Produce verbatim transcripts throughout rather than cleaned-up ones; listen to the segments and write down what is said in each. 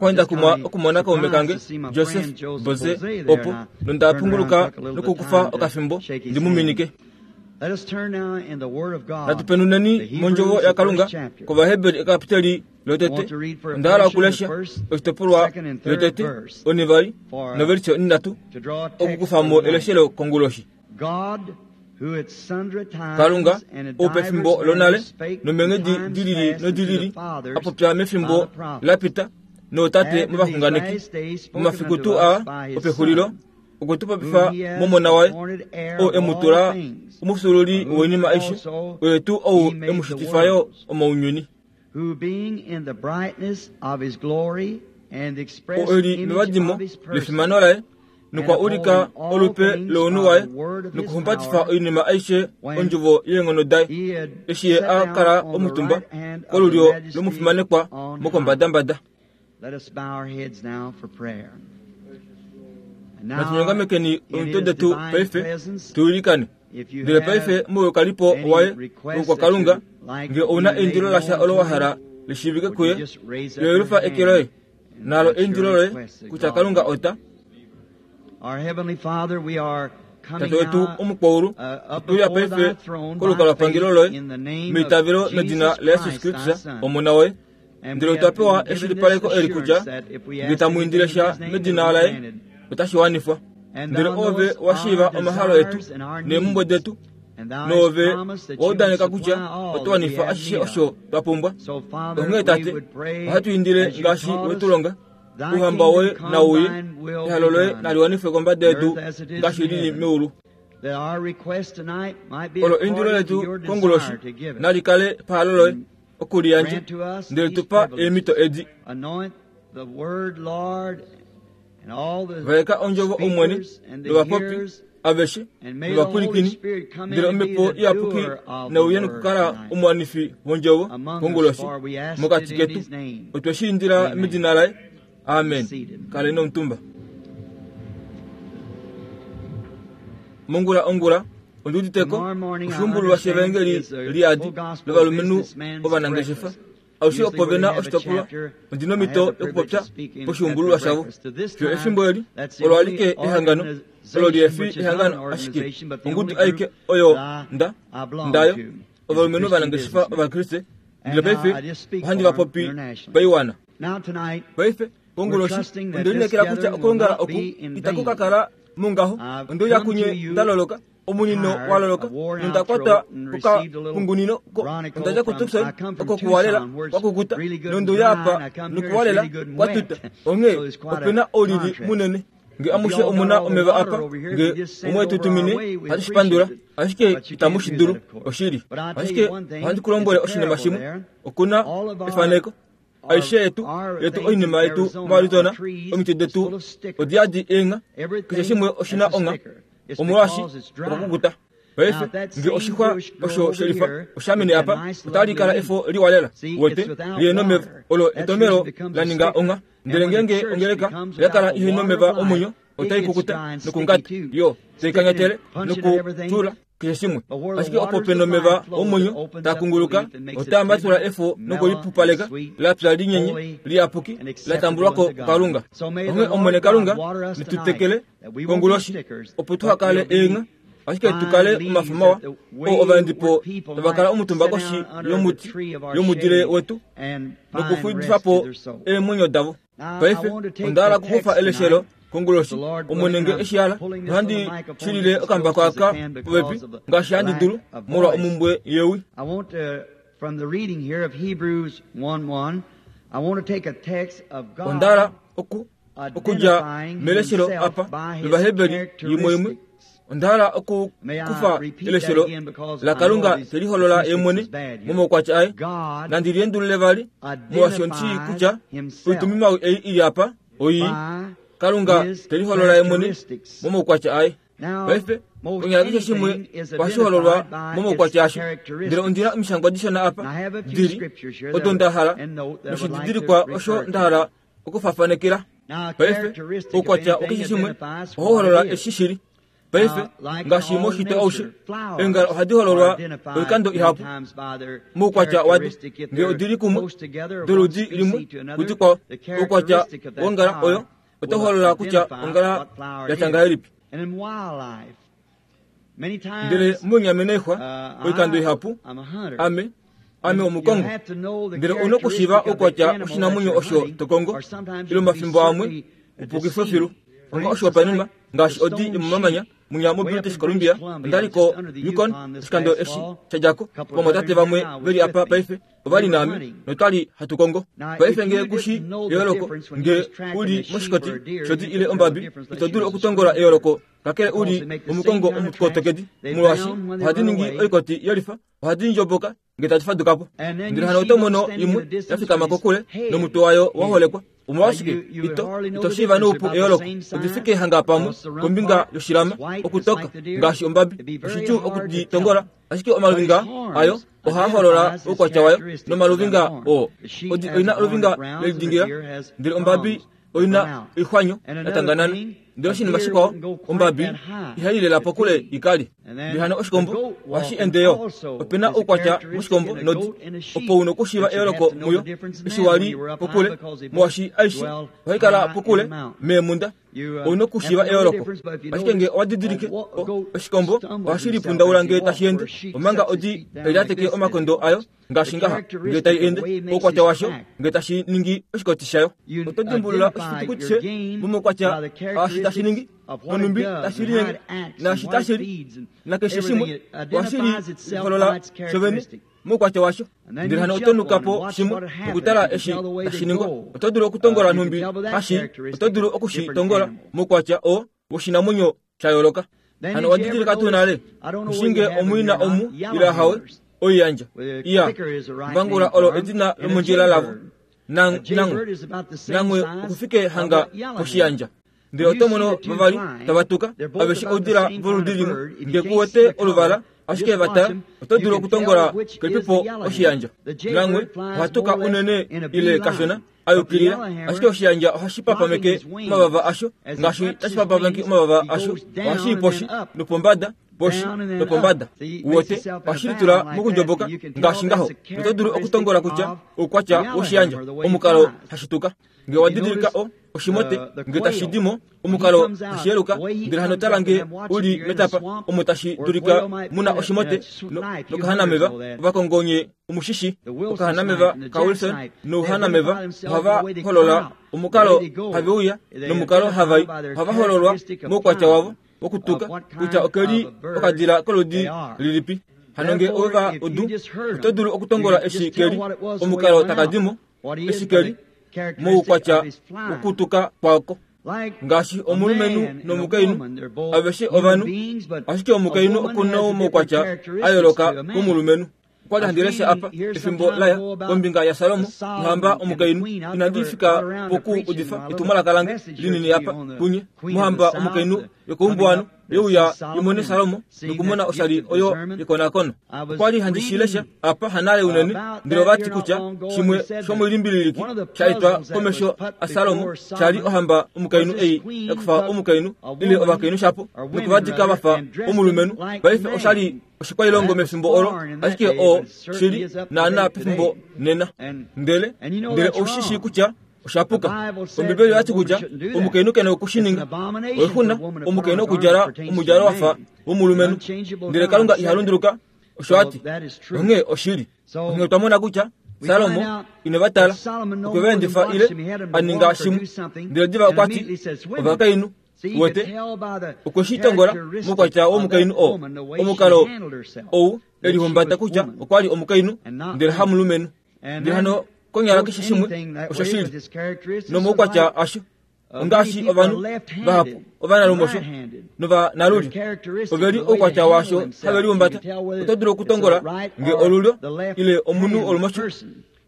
Okwali kumwa okumona kaume kange Joseph Boze opo nonda punguluka nokukufa okafimbo ndimuminike. Natupenuneni mondjovo yaKalunga kOvaheberi ekapiteli lotete onda hala okulesha oshitopolwa lotete onivali novelishe onhinhatu okukufamo eleshelo konguloshi. Kalunga ou pefimbo lonale nomeenghedi dilili nodilili a popya mefimbo lapita nootate movaxunganeki momafiku tuu aa opexulilo okwe tu popifa momona waye ou e mu tula omufyuululi woinima aishe oye tuu ou e mu shitifa yo omounyuni. Ou eli mevadimo lefimano laye nokwa ulika olupe lounhu waye nokuhumbatifa oinima aishe ondjovo yeenghono daye eshi ye a kala omutumba kolulyo lomufimanekwa mokombadambada. Natunyongamekeni omitwe detu paife tuilikane. Ndele paife moukalipo waye wokwakalunga nge ouna eindilo lasha olo wa hala lishiivike kuye yelufa eke loye nalo eindilo loye kutya Kalunga ota. Tate wetu omukwaulu otuya paife kolukalwapangelo loye meitavelo medina laYesus Kristus omona woye. Ndele otwa pewa eshilipaleko eli kutya nge tamu indile sha medina laye otashi wanifwa. Ndele ove washiiva omahalo etu neemhumbwe detu noove waudaneka kutya oto wanifa ashishe osho twa pumbwa. Onghee Tate, ohatu indile ngaashi wetulonga ouhamba woye nauye ehalo loye nali wanifwe kombada yedu ngaashi lili meulu. Olo eindilo letu konguloshi nali kale pahalo loye okuliyandja ndele tupa eemhito edi. Vaeka ondjovo Omwene novapopi aveshe novapwilikini ndele omhepo iyapuki nauye nokukala omuwanifi wondjovo konguloshi mokati ketu. Otwe shi indila medina laye. Amen. Kaleni omutumba. Mongula ongula ondiuditeko oshuumbululwa shevangeli liadi lovalumenhu ovanangeshefa aushe opo vena oshitopolwa ondina omhito yokupopya poshuumbululwa shavo. Fiyo efimbo eli olo alike ehangano olo liefi ehangano ashike ongudu aike oyo nda ndayo ovalumenhu ovanangeshefa ovakriste. Ndele paife ohandi vapopi paiwana. Paife konguloshi ondelinekela kutya okulongala oku itaku ka kala mungaho. Ondeuya kunye ndaloloka omunino waloloka nonda kwata kokapungunino ondadja kuTucson oko kuwalela kwakukuta nondeuya apa nokuwalela kwatuta. Onghee opena oulili munene. Nge amushe omuna omeva apa nge omwe tutumine hatu shipandula ashike itamu shi dulu oshili. Ashike ohandi ku lombwele oshinima shimwe. Okuna efaneko aishe yetu yetu oinima yetu moArizona omiti detu odiyadi eenga keshe shimwe oshina onga omolwashi okakukuta. Paife nge oshixwa osho shelifa oshamene apa otali kala efo liwalela wete liye nomeva olo etomelo la ninga onga. Ndele ngenge ongeleka yakala ihe nomeva omwenyo otai kukuta nokungata yo taikanyatele nokutula keshe shimwe. Ashike opo pena omeva omwenyo takunguluka otaambatula efo nokulipupaleka lapya linyenye liyapuki latambulwako kuKalunga. Onghee Omwene Kalunga netutekele konguloshi opo tuhakale eenga ashike tukale omafo mawa oo ovaendipo tava kala omutumba koshi yomuti yomudile wetu nokuxulifapo eemwenyo davo. Paife onda hala okukufa eleshelo konguloshi Omwene nge eshi hala nohandi shilile okambako aka popepi ngaashi handi dulu molwa omumbwe yewi. Onda hala oku okudja meleshelo apa lOvaheberi yimwe imwe. Onda hala okukufa eleshelo laKalunga teliholola ye mwene momaukwatya aye. Nandi liendulule vali molwaashi ondi kutya oitumimawi ei ili apa oi Kalunga teliholola ye mwene momaukwatya aye. Paife konyala keshe shimwe ohashi hololwa momaukwatya asho. Ndele ondina omishangwa dishona apa dili odo nda hala noshididilikwa osho nda hala okufafanekela. Paife oukwatya wakeshe shimwe ohau holola eshi shili. Paife ngaashi moshitwe aushe eengala ohadi hololwa oikando ihapu moukwatya wado ngee odili kumwe doludi limwe kudikwao. Oukwatya wongala oyo oto holola kutya ongala yatya ngahelipi. Ndele moinyameno oixwa oikando ihapu ame ame omukongo, ndele ouna okushiiva oukwatya woshinamwenyo osho tokongo ile omafimbo amwe upukifwe filu. Onga oshihopaenenwa ngaashi odi yomomamanya munya moBritish Columbia, ondali ko Yukon oshikando eshi shadjako. Ovamwatate vamwe veli apa paife ovali naame notwali hatu kongo. Paife ngee kushi eyooloko ngee uli moshikoti shodi ile ombabi, ito dulu okutongola eyooloko kakele uli omukongo omukotokedi, molwaashi ohadi ningi oikoti yelifa, ohadi ndjoboka ngee tadi fadukapo. Ndele hano oto mono imwe ya fikama kokule nomutwe wayo wa holekwa. Omolwashike ito ito shiiva noupu eyooloko odifike hanga pamwe kombinga yoshilama okutoka ngaashi ombabi. Oshidjuu okuditongola, ashike omaluvinga ayo ohaa holola oukwatya wayo nomaluvinga oo. Odi oina oluvinga lelidingila, ndele ombabi oina oixwanyo yatanganana. Ndele oshinima shikwao, ombabi ihai lela pokule ikali. Ndele hano oshikombo ohashi ende yo. Opena oukwatya moshikombo nodi opo una okushiiva eyooloko muyo eshi wali pokule, molwaashi aishe ohai kala pokule meemunda. Ouna okushiiva eyooloko, ashike ngee owa didilike oshikombo ohashi lipundaula ngee tashi ende, omanga odi tai lyateke omakondo ayo ngaashi ngaha ngee tai ende. Oukwatya washo ngee tashi ningi oshikoti shayo. Oto dimbulula oshifitukuti she momaukwatya aashi tashi ningi, nonhumbi tashi linyenge, naashi tashi li, nakeshe shimwe ohashi liholola shovene moukwatya washo. Ndele hano oto nuka po shimwe nokutala eshi tashi ningwa. Oto dulu okutongola nhumbi hashi, oto dulu okushitongola moukwatya oo woshinamwenyo sha yooloka. Hano owa didilika tuu nale kushinge omwina omu ile ahawe oiyandja iya mbangula olo edina lomondjila lavo nangwe nangwe okufike hanga poshiyandja. Ndele oto mono vavali tava tuka aveshe oudila voludi limwe, ngee kuwete oluvala ashike vatala oto dulu okutongola kelipipo oshiyandja. Nangwe ohatuka unene ile kashona ayukilila, ashike oshiyandja ohashi papameke omavava asho ngaashi tashi papameke omavava asho ohashi i poshi nopombada poshi nopombada. Uwete ohashi litula mokundjoboka ngaashi ngaho. Oto dulu okutongola kutya oukwatya woshiyandja omukalo hashituka. Ngee owa didilika o oshimote ngee tashi dimo omukalo hashiyeluka, ndele hano tala ngee uli metapa omo tashi dulika muna oshimote nokahanameva ovakongonye omushishi. Okahanameva kaWilson nouhanameva ohava holola omukalo haveuya nomukalo havai. Ohava hololwa moukwatya wavo wokutuka kutya okeli okadila koludi lilipi. Hano ngee ove udu, oto dulu okutongola eshi keli omukalo takadimo eshi keli moukwatya wokutuka kwako. Ngaashi omulumenhu nomukainhu aveshe ovanhu, ashike omukainhu okuna omaukwatya a yooloka komulumenhu. Okwali handi lesha apa efimbo laya kombinga yaSalomo nohamba omukainhu. Inandi fika poku udifa etumwalaka lange linini apa punye. Mohamba omukainhu yokoumbuwano yeuya imone Salomo nokumona oshali oyo yekonakono. Okwali handi shi lesha apa hanale unene, ndele ovati kutya shimwe shomoilimbililiki sha etwa komesho aSalomo shali ohamba omukainhu ei yakufa omukainhu ile ovakainhu shapo nokuvadika vafa omulumenhu. Paife oshali oshikwailongo mefimbo olo, ashike oo shili naana pefimbo nena. Ndele ndele oushi kutya oshapuka. Ombibeli oyati kutya omukainhu kena okushininga. Oixuna omukainhu okudjala omudjalo wafa womulumenhu, ndele Kalunga iha lunduluka. Osho ati onghee oshili. Onghee otwa mona kutya Salomo ine vatala okwe vaendifa ile aninga shimwe, ndele diva okwati ovakainhu wete okwe shi tongola moukwatya womukainhu oo omukalo ou elihumbata kutya okwali omukainhu ndele hamulumenhu. Ndele hano konyala keshe shimwe osho shili nomoukwatya asho. Ongaashi ovanhu vahapu ovanalumosho novanalulyo oveli oukwatya washo have lihumbata. Oto dulu okutongola nge olulyo ile omunhu olumosho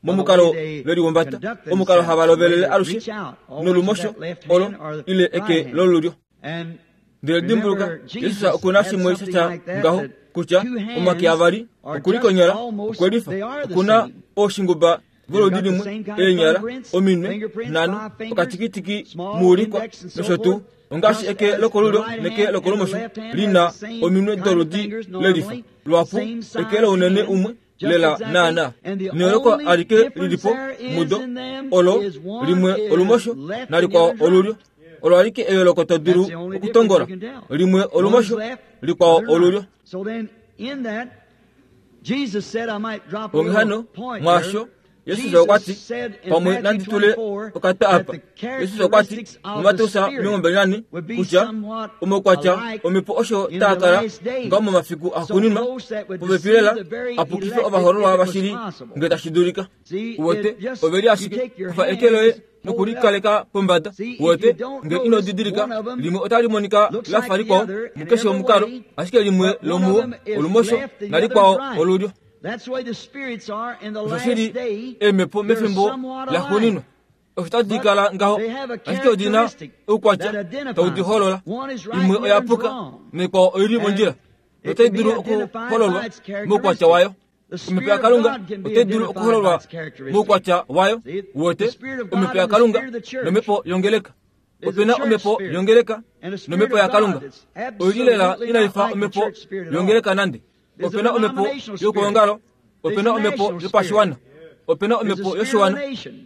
momukalo velihumbata, omukalo hava lovelele alushe nolumosho olo ile eke lolulyo. Ndele dimbuluka, Jesus okuna shimwe shatya ngaho kutya omake avali okuli konyala okwelifa okuna oshinguba Volodi limwe eenyala ominwe nhano okatikitiki muulikwa nosho tuu ongaashi eke lokolulyo neke lokolumosho lina ominwe doludi lelifa lwapu eke lounene umwe lela naana neoloko alike lilipo mudo olo limwe olumosho nalikwao olulyo olo alike eyooloko to dulu okutongola limwe olumosho likwao olulyo. Onghee hano mwaasho Yesus okwa ti pamwe nandi tule okata apa. Yesus okwa ti muMateus omilongo mbali nane kutya omaukwatya omhepo osho taa kala ngaho momafiku axuuninwa popepi lela apukife ovahoololwa vashili ngee tashi dulika. Uwete oveli ashike kufa eke loye nokulikaleka pombada. Uwete ngee ino didilika limwe otali monika lafa likwao mukeshe omukalo, ashike limwe lomuwo olumosho nalikwao olulyo. Oshoshili eemhepo mefimbo laxuuninwa osho tadi kala ngaho, ashike odina oukwatya tau di holola. Imwe oya puka naikwao oili mondjila notai dulu okuhololwa moukwatya wayo. Omhepo yaKalunga otai dulu okuhololwa moukwatya wayo. Uwete omhepo yaKalunga nomhepo yongeleka. Opena omhepo yongeleka nomhepo yaKalunga oili lela inaifa omhepo yongeleka nande. Opena omhepo yokuongalo, opena omhepo yopashiwana, opena omhepo yoshiwana.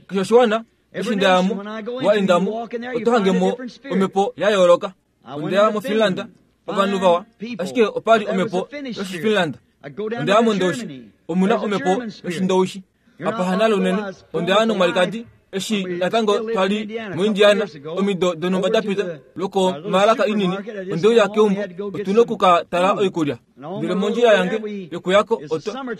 Keshe oshiwana eshi ndayamo waendamo oto hangemo omhepo ya yooloka. Ondeya moFinland ovanhu vawa, ashike opali omhepo yoshiFinland. Ondeya moNdowishi omuna omhepo yoshindowishi. Apa hanale unene ondeya nomwalikadi eshi natango twali moIndiana omido donhumba dapita lokomaalaka inini. Ondeuya keumbo otuna okuka tala oikulya. Ndele mondjila yange yokuyako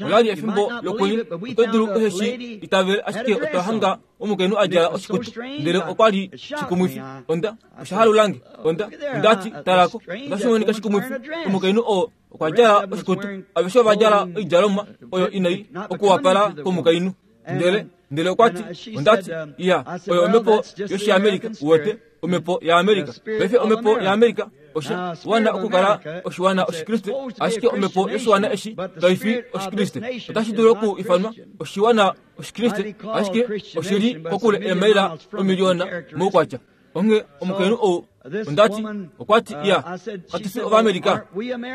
olali efimbo lokwenye oto dulu eshi itavele, ashike otwa hanga omukainhu a djala oshikutu ndele okwali shikumwifi. Onda oshahalulange onda ondati talako otashi monika shikumwifi. Omukainhu oo okwa djala oshikutu, aveshe ova djala oidjalomwa oyo inai okuwapala komukainhu. Ndele ndele okwa ti ondati iya oyo omhepo yoshiAmerika. Uwete omhepo yaAmerika paife omhepo yaAmerika osha wana okukala oshiwana oshikriste, ashike omhepo yoshiwana eshi kaifi oshikriste. Otashi dulu oku ifanwa oshiwana oshikriste, ashike oshili kokule eemaila omiliona moukwatya. Onghee omukainhu ou ondati okwa ti iya katu fi Ovamerika.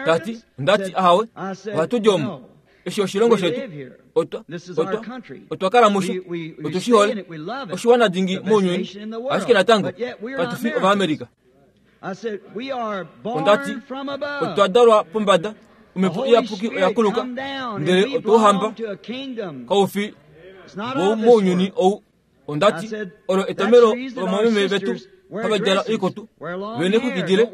Tati ondati ahawe ohatu di omu eshi oshilongo shetu otwa otwa otwa kala musho otu shi hole oshiwana dingi mounyuni, ashike natango katu fi Ovamerika. Ondati otwa dalwa pombada, omhepo iyapuki oya kuluka ndele otwauhamba kaufi womounyuni ou. Ondati olo etomelo lomameme vetu hava djala oikutu vene kukidile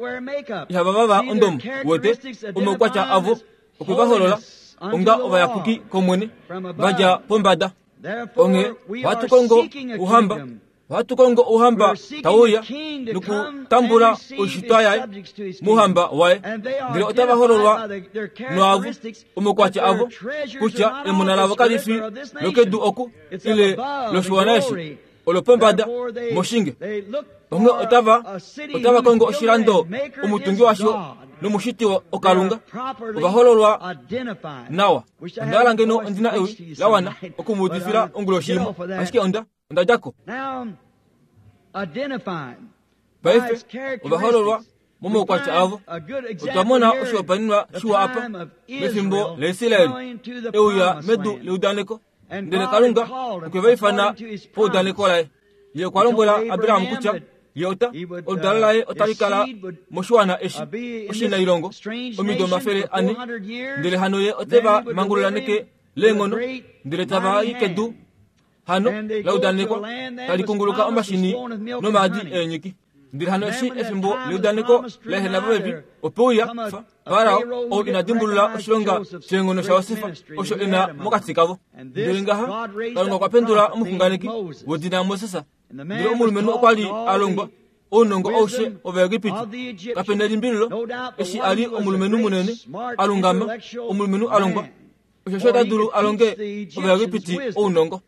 ihava vava ondomo. Uwete omaukwatya avo okwe va holola onga ovayapuki komwene va dja pombada. Onghee ohatu kongo ouhamba, ohatu kongo ouhamba tauya nokutambula oishitwa yaye mouhamba waye. Ndele otava hololwa noavo omaukwatya avo kutya emona lavo kali fi lokedu oku ile loshiwana eshi olopombada moshinge. Onghee otava otava kongo oshilando omutungi washo nomushiti okalunga ovahololwa nawa. Onda ngeno ondina ewi lawana okumuudifila onguloshi imwe, ashike onda onda djako. Paife ovahololwa momaukwatya avo. Otwa mona oshihopaenenwa shiwa apa mefimbo laIsraeli euya medu leudaneko, ndele Kalunga okwe va ifana paudaneko laye. Ye okwa lombwela Abraham kutya ye ota oludalo laye otali kala moshiwana eshi oshinailongo omido omafele ane, ndele hano ye ote va mangulula neke leenghono, ndele tava i kedu hano laudanekwa tali kunguluka omashini nomaadi eenyiki. Ndele hano eshi efimbo leudaneko laehena popepi, ope uya Farao ou ina dimbulula oshilonga sheenghono shaJosef osho ena mokati kavo. Ndele ngaha Kalunga okwa pendula omuxunganeki wedina Moses. Ndele omulumenhu okwa li a longwa ounongo aushe wOvaegipiti. Kapena elimbililo eshi a li omulumenhu munene a lungama, omulumenhu a longwa osho ota dulu a longe Ovaegipiti ounongo.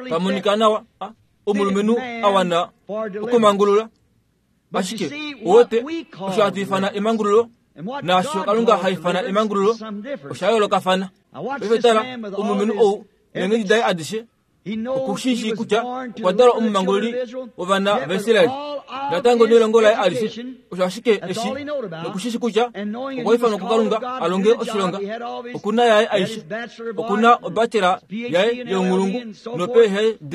Pamonika nawa omulumenhu a wana okumangulula, ashike uwete osho hatu ifana emangululo naasho Kalunga ha ifana emangululo osha yoolokafana. Paife tala omulumenhu ou Eenghedi daye adishe okushishi kutya okwa dalwa omumangululi wovana vaIsraeli natango nelongo laye alishe osho ashike eshi nokushishi kutya okwa ifanwa kuKalunga alonge oshilonga okuna yaye aishe okuna obachela yaye younghulungu no-P H D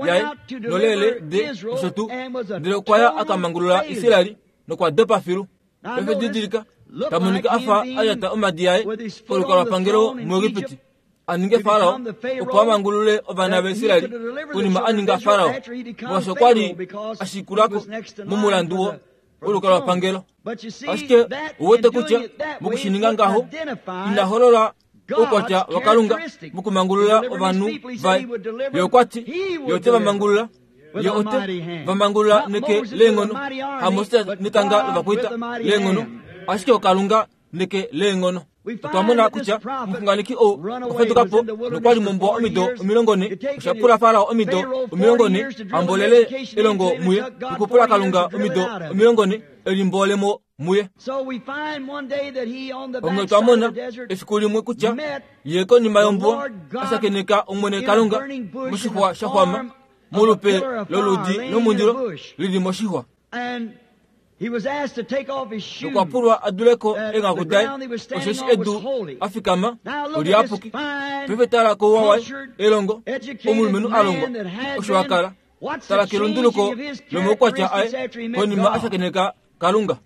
yaye no-L L D osho tuu ndele okwaya akamangulula Israeli nokwa dopa filu. Paife didilika tamonika afa alyata omadi yaye kolukalwapangelo muEgipiti aninge Farao opo amangulule ovana vaIsraeli konima aninga Farao molwaashi okwali ashikulako momulandu wo wolukalwapangelo. Ashike ouwete kutya mokushininga ngaho ina holola oukwatya waKalunga mokumangulula ovanhu vaye. Ye okwati ye ote vamangulula, ye ote vamangulula neke leenghono, haMoses netanga lovakwaita leenghono, ashike oKalunga neke leenghono. Otwa mona kutya omuxunganeki ou okwa faduka po nokwali mombuwa omido omilongo ne. Osha pula Farao omido omilongo ne ambolele elongo muye nokupula Kalunga omido omilongo ne elimbolemo muye. Onghee otwa mona efiku limwe kutya ye konima yombuwa ashakeneka Omwene Kalunga moshixwa sha xwama molupe loludi lomundilo lili moshixwa. Nokwa pulwa aduleko eenghaku daye osheshi edu afikama oliyapuki. Paife tala kouwa waye elongo omulumenhu alongwa osho akala. Tala kelunduluko lomaukwatya aye konima ashakeneka Kalunga.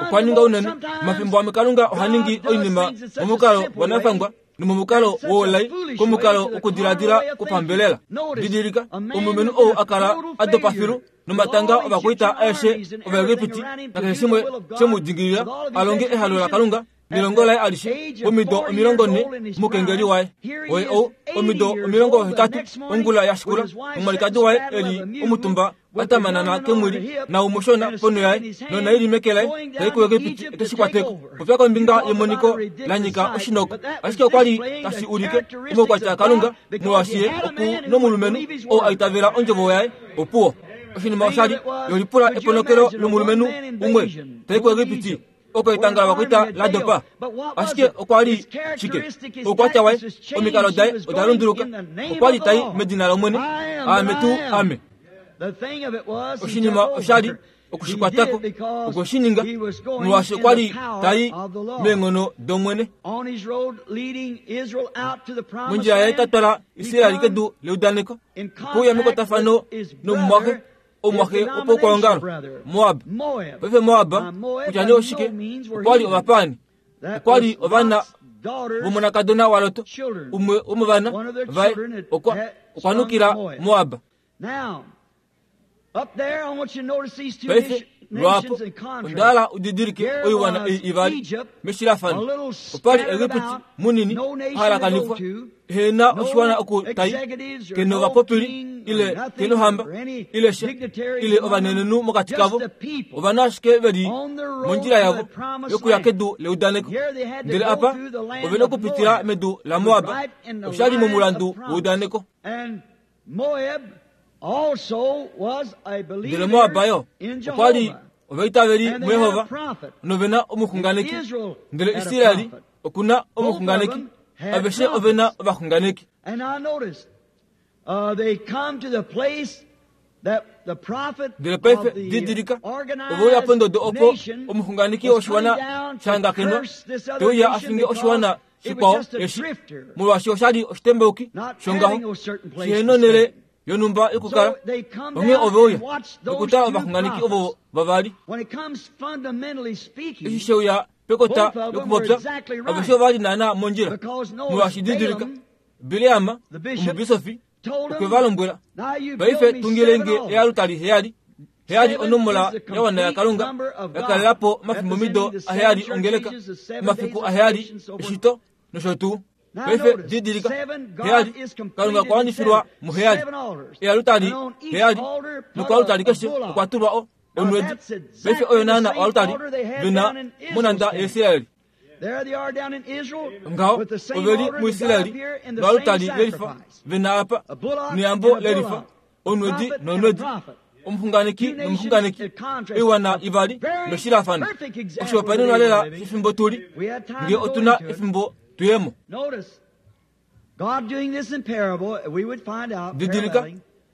Okwa ninga unene omafimbo amwe Kalunga oha ningi oinima momukalo wanafangwa nomomukalo woulai komukalo wokudiladila kwopambelela. Didilika omulumenhu ou akala adopa filu nomatanga ovakwaita aeshe Ovaegipiti nakeshe shimwe shemudingilila alonge ehalo laKalunga nelongo laye alishe omido omilongo ne mukengeli waye. Oye ou omido omilongo hetatu ongula yashikula omwalikadi waye eli omutumba atamanana kemwili naumoshona ponho yaye nonaili meke laye tai kuEgipiti ekeshikwateko. Popya kombinga yemoniko lanyika oshinoko, ashike okwali tashi ulike omaukwatya aKalunga molwaashi ye oku nomulumenhu ou aitavela ondjovo yaye opuwo. Oshinima oshali yolipula eponokelo lomulumenhu umwe tai kuEgipiti oko etanga lovakwaita la dopa, ashike okwa li shike oukwatya waye omikalo daye oda lunduluka. Okwali tai medina lOmwene, aame tuu ame. Oshinima oshali okushikwatako okwe shi ninga molwaashi okwali tai meenghono dOmwene. Mondjila yaye tatwala Israeli kedu leudaneko okuuya mekwatafano nomumwaxe omumwaxe wopaukwaongalo Moab. Paife Moab kutya nee oshike okwali ovapaani, okwali ovana vomonakadona waLot, umwe womovana vaye okwa okwa nukila Moab. Paife lwaapo ondaala udidilike oiwana ei ivali meshilafano. Opali Egipiti munini ahalakanifwa ehena oshiwana oku tai keno ovapopili ile kenohamba ile sha ile ovanenenhu mokati kavo ovanhu ashike veli mondjila yavo yokuya kedu leudaneko. Ndele apa ovena okupitila medu laMoab oshali momulandu weudaneko. Ndele Moab yo okwali ovaitaveli muYehova novena omuxunganeki, ndele Israeli okuna omuxunganeki. Aveshe ovena ovaxunganeki. Ndele paife didilika oveuya pondodo opo omuxunganeki woshiwana shahangakenwa teuya afinge oshiwana shikwao eshi molwaashi oshali oshitembauki shongaho shihena onhele yonhumba yokukala. Onghee oveuya nokutala ovaxunganeki ovo vavali. Eshi sheuya pekota lokupopya aveshe ovali naana mondjila molwaashi didilika Bileam omubisofi okwe va lombwela paife tungilenge ealutali heyali. Heyali onomola yawana yaKalunga yakalelapo omafimbomido aheyali ongeleka omafiku aheyali eshito nosho tuu. Paife didilika heyali Kalunga okwa wanifilwa muheyali ealutali heyali nokoalutali keshe okwa tulwa o onwedi. Paife oyo naana oalutali vena monanda yaIsraeli. Ngaho oveli muIsraeli noalutali lelifa vena apa neyambo lelifa onwedi nonwedi omuxunganeki nomuxunganeki oiwana ivali noshilafano. Oshihopaenenwa lela shefimbo tuli nge otuna efimbo tuyemo. Didilika,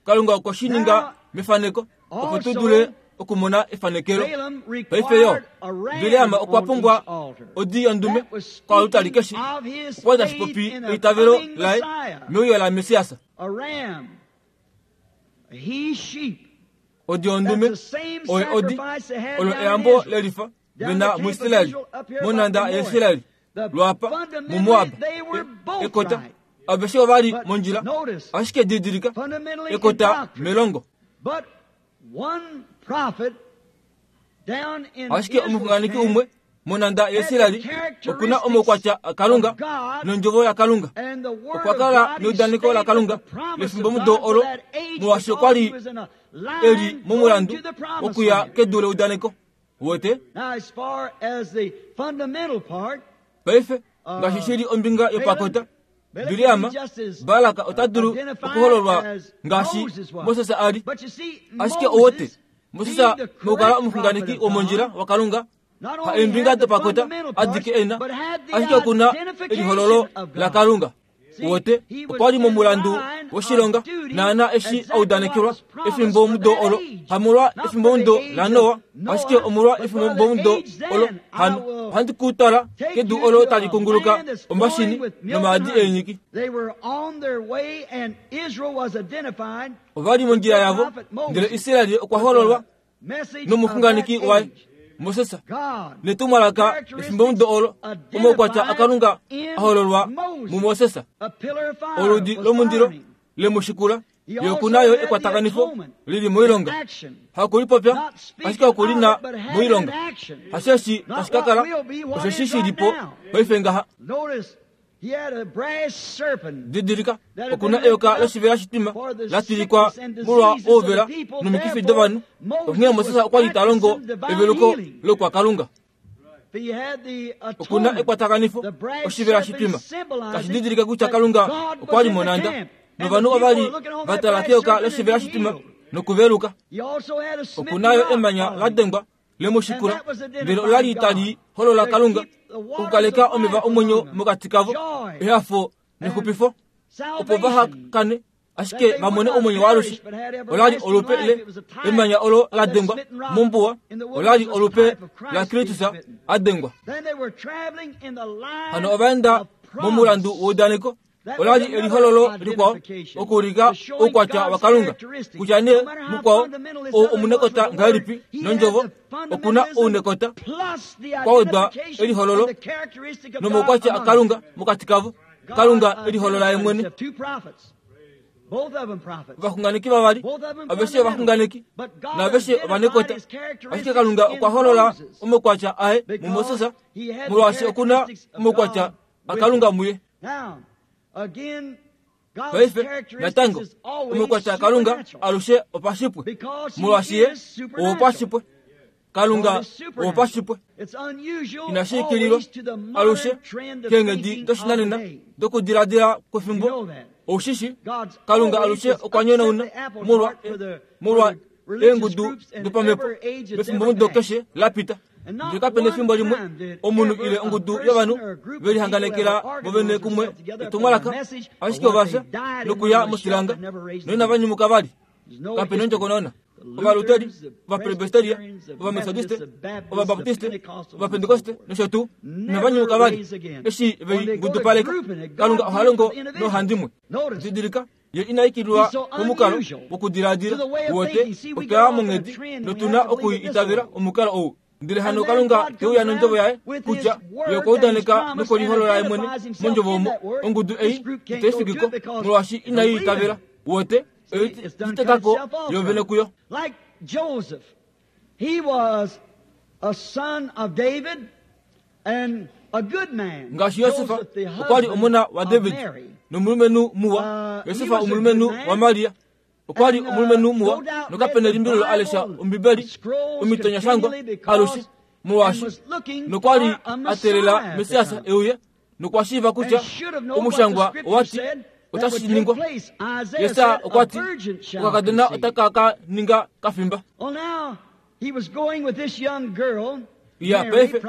Kalunga okwe shi ninga mefaneko opo tu dule okumona efanekelo. Paife yo, Bileam okwa pumbwa odi yondume koalutali keshe okwa tashi popi eitavelo laye meuyo la Messias. Odi yondume oyo odi olo eyambo lelifa vena muIsraeli monanda yaIsraeli lwapa muMoab ekota aveshe ovali mondjila ashike didilika ekota melongo. Ashike omuxunganeki umwe monanda yaIsraeli okuna omaukwatya aKalunga nondjovo yaKalunga. Okwa kala neudaneko laKalunga lefimbomudo olo molwaashi okwa li eli momulandu wokuya kedu leudaneko. Wote paife ngaashi shili ombinga yopakota Bileam Balaka ota dulu okuhololwa ngaashi Moses a li. Ashike owote Moses mokukala omuxunganeki womondjila waKalunga ha eembinga dopakota adike ena, ashike okuna elihololo laKalunga. Wote okwa li momulandu woshilonga naana eshi audanekelwa efimbomudo olo, hamolwa efimbomudo laNoa, ashike omolwa efimbomudo olo hano ohandi ku twala kedu olo tali kunguluka omashini nomaadi eenyiki. Ovali mondjila yavo, ndele Israeli okwa hololwa nomuxunganeki waye Moses netumwalaka efimbomudo olo omaukwatya aKalunga ahololwa muMoses. Oludi lomundilo lemushikula yokunayo ekwatakanifo lili moilonga. Hakulipopya ashike okulina moilonga. Hasheshi tashi ka kala osheshi shilipo paife ngaha. Didilika, okuna eyoka loshivela shitima la tilikwa molwa ouvela nomikifi dovanhu. Onghee Moses okwa li ta longo eveluko lokwaKalunga. Okuna ekwatakanifo oshivela shitima tashi didilika kutya Kalunga okwa li monanda novanhu ova li va tala keyoka loshivela shitima nokuveluka. Okunayo emanya la dengwa lemushikula ndele ola li tali holola Kalunga okukaleka omeva omwenyo mokati kavo, ehafo nexupifo, opo vaha kane ashike va mone omwenyo waalushe. Ola li olupe le emanya olo la dengwa mombuwa, ola li olupe la Kristus a dengwa. Hano ova enda momulandu weudaneko. Ola li elihololo likwao okuulika oukwatya waKalunga kutya nee mukwao ou omunekota ngahelipi nondjovo okuna ounekota kwawedwa elihololo nomaukwatya aKalunga mokati kavo. Kalunga eliholola ye mwene. Ovaxunganeki vavali aveshe ovaxunganeki naaveshe ovanekota, ashike Kalunga okwa holola omaukwatya aye muMoses molwaashi okuna omaukwatya aKalunga muye. Paife natango omaukwatya aKalunga alushe opashipwe molwaashi ye owopashipwe. Kalunga owopashipwe. Inashi ikililwa alushe keenghedi doshinanena dokudiladila kwefimbo. Oushishi Kalunga alushe okwa nyonauna molwa molwa eengudu dopamhepo mefimbomudo keshe la pita. Ndele kapena efimbo limwe omunhu ile ongudu yovanhu velihanganekela vovene kumwe etumwalaka, ashike ovafya nokuya moshilanga noinava nyumuka vali. Kapena ondjokonona. Ovaluteri, ovapresbiteria, ovametodiste, ovabaptiste, ovapentekoste nosho tuu inava nyumuka vali eshi vei ngudupaleka. Kalunga oha longo nohandimwe. Didilika, ye ina ikililwa komukalo wokudiladila wote otwaya monghedi notuna okuitavela omukalo ou. Ndele hano Kalunga teuya nondjovo yaye kutya ye okwa udaneka nokoliholola ye mwene mondjovo omo. Ongudu ei itai fikiko molwaashi inai itavela. Wote oitekako yovene kuyo. Like Joseph, he was a son of David and a good man. Ngaashi Yosefa okwa li omona waDavid nomulumenhu muwa. Yosefa omulumenhu waMaria okwa li omulumenhu muwa nokapena elimbililo alesha Ombibeli omitonyashangwa alushe molwaashi nokwa li a teelela Messias euye nokwa shiiva kutya omushangwa owati otashi ningwa. Yesa okwa ti okakadona otaka ka ninga kafimba. Ya paife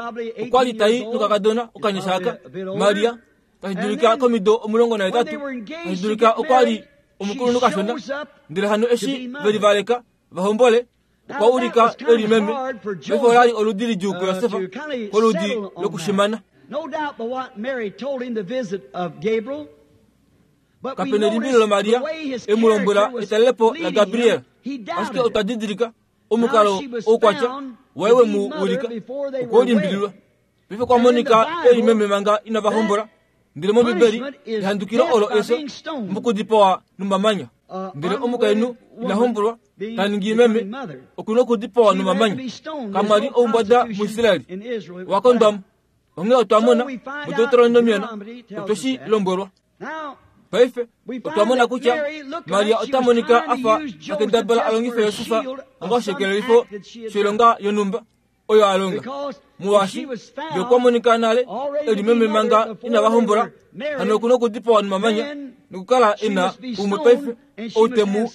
okwa li tai nokakadona okanyasha aka Maria Tashi dulika komido omulongo nahetatu, tashi dulika okwa li omukulunhu kashona, ndele hano eshi veli valeka vahombole, okwa ulika eli meme. Paife olali oludi lidjuu kuYosefa, koludi lokushimana. Kapena elimbililo Maria emu lombwela etalelepo la Gabriel, ashike otwa didilika omukalo oukwatya waye we mu ulika okwe limbililwa. Paife kwa monika eli meme manga inava hombola, ndele mOmbibeli ehandukilo olo efyo mokudipawa nomamanya. Ndele omukainhu ina hombolwa ta ningi meme okuna okudipawa nomamanya. Kamwa li oumbwada muIsraeli wakondwamo. Onghee otwa mona muDeuteronomion otwe shi lombwelwa. Paife otwa mona kutya Maria ota monika afa akendabala alongife Yosefa onga oshikelelifo shoilonga yonhumba oyo a longa. Molwaashi ye okwa monika nale eli meme manga inava hombola, hano okuna okudipawa nomamanya nokukala e na umwe paife ou te mu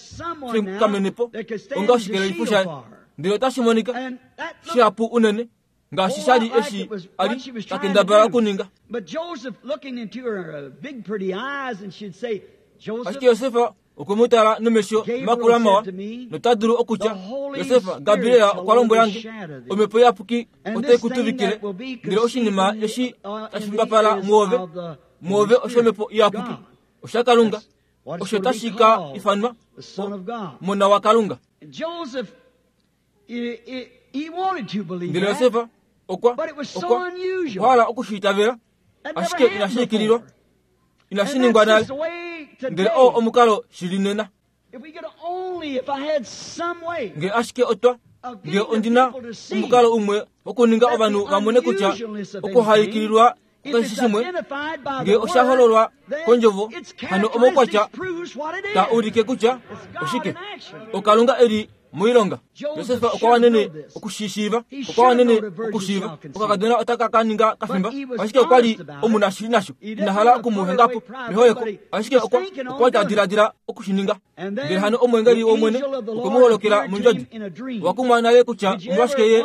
fikamenepo onga oshikelelifo shaye. Ndele otashi monika shihapu unene ngaashi sha li eshi a li takendabala okuninga. Ashike Yosefa okwe mu tala nomesho makula mawa, nota dulu okutya, Yosefa, Gabriel okwa lombwela nge, omhepo iyapuki otai ku tuvikile, ndele oshinima eshi tashi fimbapala muove, muove oshomhepo iyapuki, oshaKalunga, osho tashi ka ifanwa Omona waKalunga. Ndele Yosefa okwa okwa okwa hala okushiitavela, ashike inashi ikililwa, inashi ningwa nale. Ndele oo omukalo shili nena. Nge ashike otwa nge ondina omukalo umwe wokuninga ovanhu vamone kutya okuhaikililwa kukeshe shimwe, nge osha hololwa kondjovo, hano omaukwatya ta ulike kutya oshike oKalunga eli moilonga. Josefa okwa wanene okushishiiva, okwa wanene okushiiva okakadona otaka ka ninga kafimba, ashike okwa li omunashili nasho, ina hala okumuhenga po meholeko, ashike okwa okwa ta diladila okushininga. Ndele hano omwengeli wOmwene okwe mu holokela mondjodi. Owa kumwa nale kutya omolwashike ye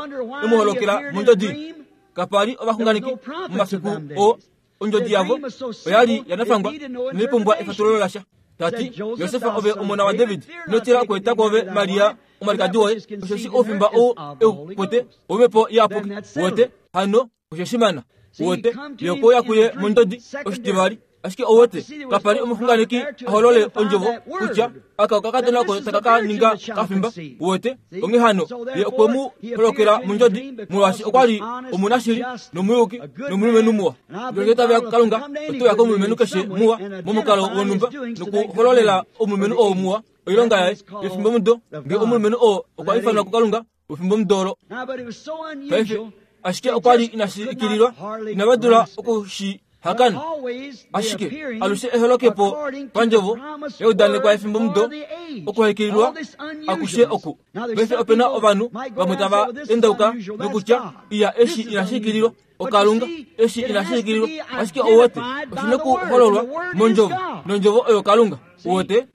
e mu holokela mondjodi? Kapa li ovaxunganeki momafiku oo. Ondjodi yavo oya li ya nafangwa inai pumbwa efatululo lasha. Tati, Yosefa ove omona waDavid, ino tila okweeta kwoove Maria omwalikadi woye, osheshi oufimba ou eu kwete womhepo iyapuki. Wote hano oshe shimana. Wote ye okwe uya kuye mondjodi oshitivali, ashike owote kapa li omuxunganeki a holole ondjovo kutya aka okakadona oko taka ka ninga kafimba. Wote onghee hano ye okwe mu holokela mondjodi, molwaashi okwa li omunashili nomuyuki nomulumenhu muwa. Ndele tave Kalunga ote uya komulumenhu keshe muwa momukalo wonhumba nokuhololela omulumenhu oo muwa oilonga yaye yefimbo mudo. Nge omulumenhu oo okwa ifanwa kuKalunga wefimbo mudo olo. Paife ashike okwa li inashi ikililwa, inava dula okushi hakana, ashike alushe eholokepo pandjovo yaudanekwa yefimbo mudo okuhaikililwa akushe oku. Paife opena ovanhu vamwe tava endauka nokutya iya eshi inashi ikililwa oKalunga, eshi inashi ikililwa, ashike owote oshina okuhololwa mondjovo, nondjovo oyo Kalunga. Wote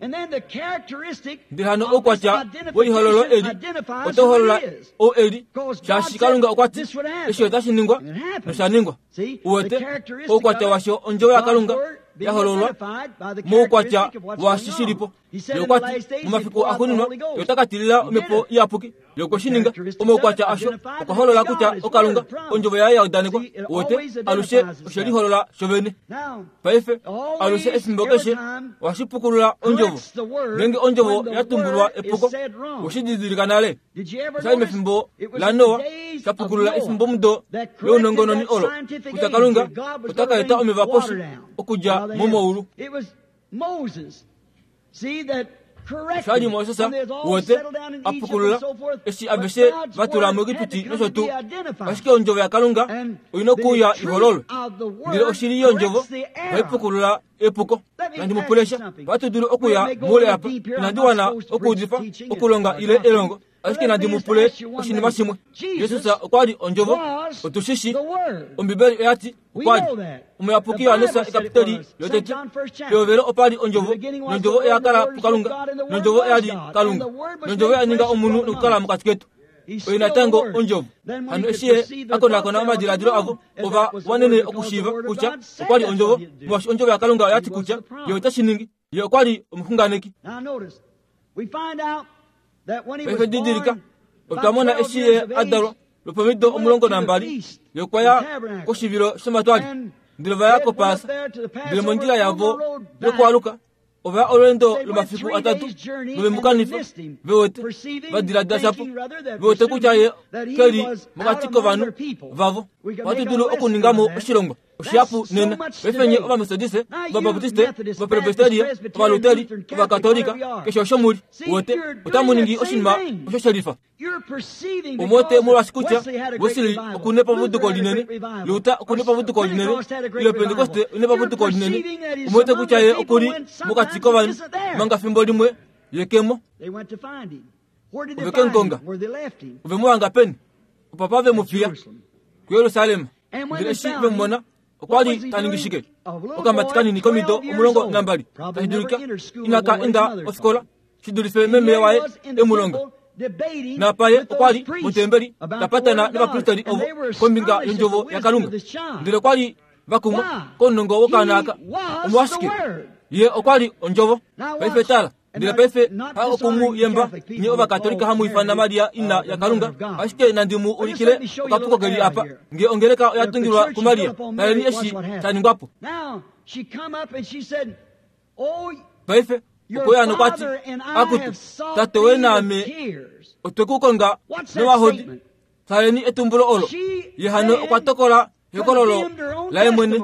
ndele hano oukwatya welihololo eli otau holola ou eli, shaashi Kalunga okwa ti eshi otashi ningwa nosha ningwa. Wote oukwatya washo ondjovo yaKalunga ya hololwa moukwatya washi shilipo. Ye okwa ti momafiku axuuninwa ye ota ka tilila omhepo iyapuki. Ye okwe shi ninga. Omaukwatya asho okwa holola kutya oKalunga, ondjovo yaye ya udanekwa. Wote alushe oshe liholola shovene. Paife alushe efimbo keshe ohashi pukulula ondjovo. Ngeenge ondjovo ya tumbulwa epuko, oweshi didilika nale. Osha li mefimbo laNoa sha pukulula efimbo mudo lounongononi olo kutya Kalunga ota ka eta omeva poshi okudja momaulu. Osha li Moses wote a pukulula eshi aveshe va tula muEgipiti nosho tuu. Ashike ondjovo yaKalunga oina okuuya ihololwe, ndele oshili yondjovo ohai pukulula epuko. Nandi mu pule sha, ohatu dulu okuya moule apa. Inandi wana okuudifa, okulonga ile elongo, ashike nandi mu pule oshinima shimwe. Jesus okwa li ondjovo, otu shi shi. Ombibeli oya ti okwa li. Omuyapuki Johannes ekapiteli yotete, pehovelo opa li ondjovo, nondjovo oya kala puKalunga, nondjovo oya li Kalunga, nondjovo oya ninga omunhu nokukala mokati ketu. Oye natango ondjovo. Hano eshi ye akonakona omadiladilo avo, ova wanene okushiiva kutya okwa li ondjovo, molwaashi ondjovo yaKalunga oya ti kutya ye otashi ningi. Ye okwa li omuxunganeki. Paife didilika, otwa mona eshi ye a dalwa lwopomido omulongo nambali, ye okwa ya koshivilo shomatwali, ndele va ya koPaasa. Ndele mondjila yavo yokwaluka, ova ya olweendo lomafiku atatu novemukanifa, ve wete va diladila shapo, ve wete kutya ye ke li mokati kovanhu vavo. Ohatu dulu okuningamo oshilongwa oshihapu nena. Paife nye Ovametodiste, Ovabaptiste, Ovapresbiteria, Ovaluteri, Ovakatolika, keshe osho muli, wete otamu ningi oshinima osho shelifa. Omwete molwaashi kutya Wesley okuna epavuduko linene, Luther okuna epavuduko linene, ile Pentecoste okuna epavuduko linene. Omwete kutya ye okuli mokati kovanhu, manga fimbo limwe ye kemo. Ove ke mukonga. Ove mu hanga peni? Opapa ve mu fiya kuYerusalem. Ndele eshi ve mu mona, okwa li ta ningi shike? Okamati kanini komido omulongo nambali, tashi dulika inaka enda ofikola shi dulife meme waye emulonga. Napa ye okwa li motembeli tapatana novapristeri ovo kombinga yondjovo yaKalunga. Ndele okwa li vakumwa kounongo wokaana aka. Omolwashike? Ye okwa li ondjovo. Paife tala. Ndele paife ha okumu yemba nye Ovakatolika hamu ifana Maria ina yaKalunga, ashike nandi mu ulikile okapuko keli apa. Nge ongeleka oya tungilwa kuMaria, taleni eshi sha ningwapo. Paife okweya nokwati, akutu, tate we naame otwe ku konga nomahodi. Taleni etumbulo olo. Ye hano okwa tokola ehokololo laye mwene.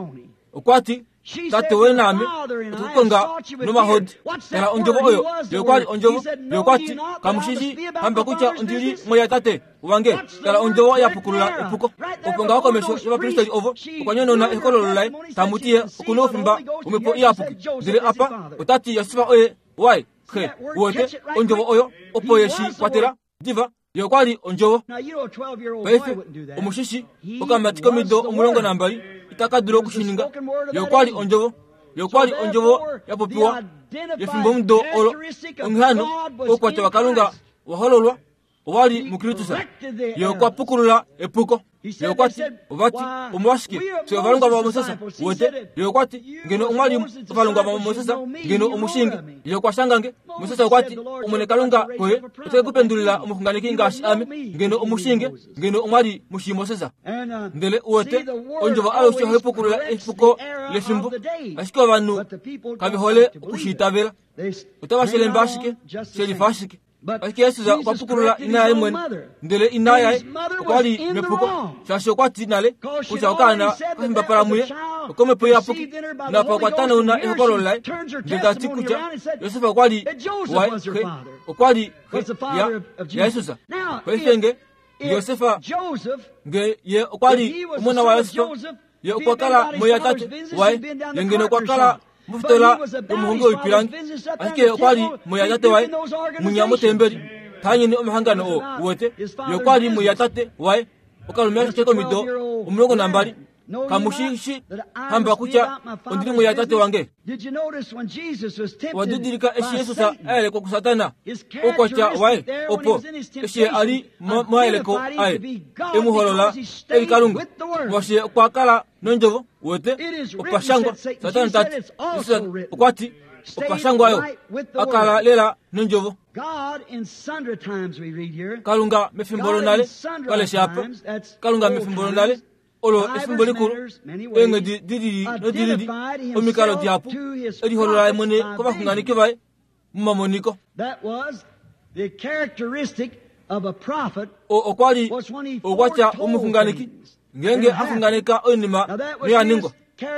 Okwati, tate we naame otwe ku konga nomahodi. Tala ondjovo oyo. Ye okwa li ondjovo. Ye okwati, kamushishi hamba kutya ondili moya tate wange. Tala ondjovo ya pukulula epuko. Opo ngaho komesho yovapristeri ovo okwa nyonona ehokololo laye, tamu ti ye okuna oufimba womhepo iyapuki. Ndele apa otati Josefa oye waye xe. Wote ondjovo oyo opo ye shi kwatela diva. Ye okwa li ondjovo. Paife omushishi okamati komido omulongo nambali itaka dulu okushininga. Ye okwa li ondjovo. Ye okwa li ondjovo ya popiwa yefimbomudo olo. Onghee hano oukwatya waKalunga wa hololwa owa li muKristus. Ye okwa pukulula epuko. Ye okwa ti, ovati, omolwashike fye ovalongwa vaMoses? Wete, ye okwa ti, ngeno omwa li ovalongwa vaMoses, ngeno omushingi. Ye okwa shanga nge. Moses okwa ti, Omwene Kalunga koye ote ku pendulila omuxunganeki ngaashi ame, ngeno omushinge, ngeno omwa li mushi Moses. Ndele uwete, ondjovo alushe ohai pukulula epuko lefimbo, ashike ovanhu kave hole okushiitavela. Otava shelemba ashike, shelifa ashike. Ashike Jesus okwa pukulula ina yaye mwene, ndele ina yaye okwa li mepuko, shaashi okwa ti nale kutya okaana kafimbapala muye okomhepo iyapuki. Napa okwa tanauna ehokololo laye, ndele ta ti kutya Josefa okwa li waye xe, okwa li xe ya yaJesus. Paife nge Josefa nge ye okwa li omona waJosefa, ye okwa kala moya tate waye, ye ngeno okwa kala mofitola yomuhongi woipilangi, ashike okwa li moya tate waye munya motembeli tanyeni omahangano oo uwete. Ye okwa li moya tate waye okalume ashike komido omulongo nambali. Kamushishi hamba kutya ondili moya tate wange. Wadidilika eshi Jesus a yelekwa kuSatana, oukwatya waye opo eshi ye a li momayeleko aye e mu holola e li Kalunga, molwaashi ye okwa kala nondjovo. Wete opa shangwa. Satana tati, Jesus okwa ti opa shangwa yo, a kala lela nondjovo. Kalunga mefimbo lonale, kalesha apa. Kalunga mefimbo lonale, olo efimbo likulu, eenghedi dilili nodilili, omikalo dihapu, eliholola mwene kovaxunganeki vaye mumamoniko. O okwa li oukwatya womuxunganeki ngeenge a xunganeka oinima noya ningwa.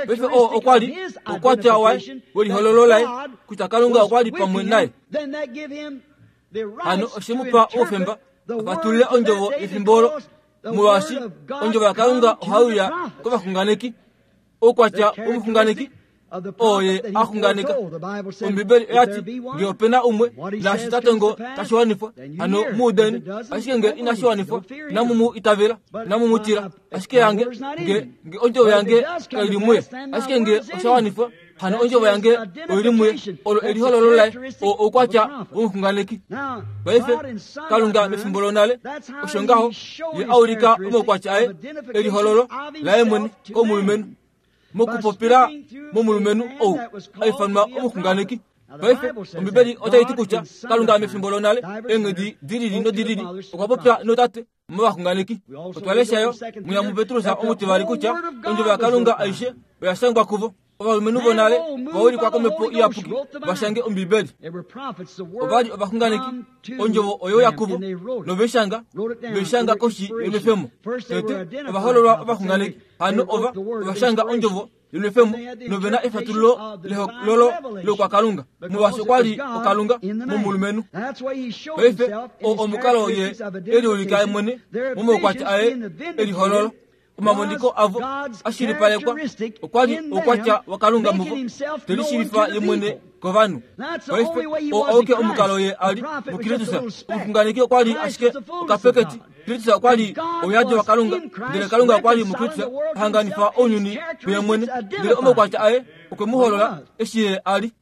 Paife oo okwa li oukwatya waye welihololo laye kutya Kalunga okwa li pamwe naye. Hano oshe mu pa oufemba afatulule ondjovo yefimbo olo, molwaashi ondjovo yaKalunga ohai uya kovaxunganeki. Oukwatya womuxunganeki oo ye a xunganeka. Ombibeli oya ti nge opena umwe naashi ta tongo tashi wanifwa, hano mu udeni. Ashike nge inashi wanifwa, inamu mu itavela, inamu mu tila. Ashike yange nge nge ondjovo yange kai li muye, ashike nge osha wanifwa, Hano ondjovo yange oili muye olo elihololo laye o oukwatya womuxunganeki. Paife Kalunga mefimbo lonale osho ngaho ye aulika omaukwatya aye elihololo laye mwene komulumenhu mokupopila momulumenhu ou aifanwa omuxunganeki. Paife Ombibeli otai ti kutya Kalunga mefimbo lonale eenghedi dilili nodilili okwa popya notate movaxunganeki. Otwa leshayo muya muPetrus omutivali kutya ondjovo yaKalunga aishe oya shangwa kuvo. Ovalumenhu vonale vaulikwa komhepo iyapuki vashange Ombibeli. Ovali ovaxunganeki ondjovo oyo yakuvo noveshanga veshanga koshi yomefemo. Tete ovahololwa ovaxunganeki hano ova ovashanga ondjovo yomefemo novena efatululo lehololo lokwakalunga molwaashi okwali okalunga momulumenhu. Paife o omukalo ye eliulika mwene momaukwatya aye elihololo. Omamoniko avo ashilipalekwa okwali oukwatya wakalunga muvo telishilifa ye mwene kovanhu. Paife o auke omukalo ye ali muKristus. Omuxunganeki okwali ashike okapeketi. Kristus okwali ouyadi wakalunga ndele Kalunga okwali muKristus ahanganifa ounyuni kuye mwene ndele omaukwatya aye okwe mu holola eshi ye ali.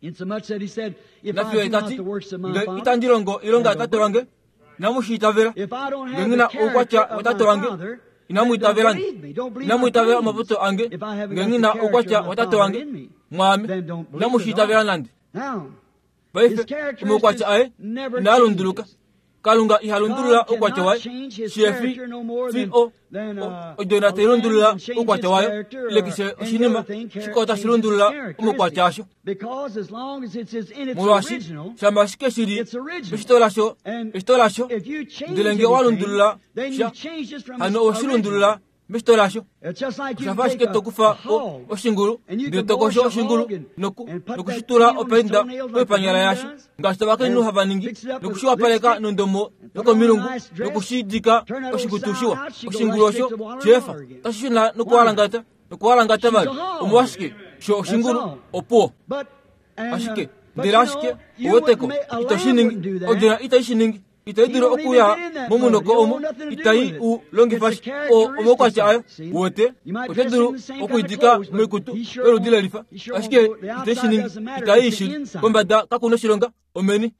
Nafiyo tati nge itandi longo ilonga yatate wange inamushiitavela. Nge ngina oukwatya watate wange inamuitavelange. Inamuitavela omaputo ange nge ngina oukwatya watate wange mwaame inamushiitavela nande. Paife omaukwatya aye inaalunduluka. Kalunga ihalundulula oukwatya waye shefi fi o odjona tailundulula oukwatya wayo ile keshe oshinima shikao tashi lundulula omaukwatya asho. Molwaashi shama ashike shili eshito lasho eshito lasho ndele nge walundulula sha hano oweshilundulula meshito lasho. Oshafa ashike tokufa oshingulu ndele tokosho oshingulu noku nokushitula opainda koipanyala yasho ngaashi ovakainhu hava ningi nokushiwapaleka nondomo yokomilungu nokushidika oshikutu shiwa. Oshingulu osho shefa tashi shuna nokuwalangata nokuwalangata vali omolwashike sho oshingulu opuwo. Ashike ndele ashike oweteko itoshiningi odjona itai shiningi itai dulu okuya momunoko omo itai u longifa o omaukwatya ayo wote ote dulu okuidika moikutu yoludi lelifa ashike itai shiningi itai ishili kombada kakuna oshilonga omeni.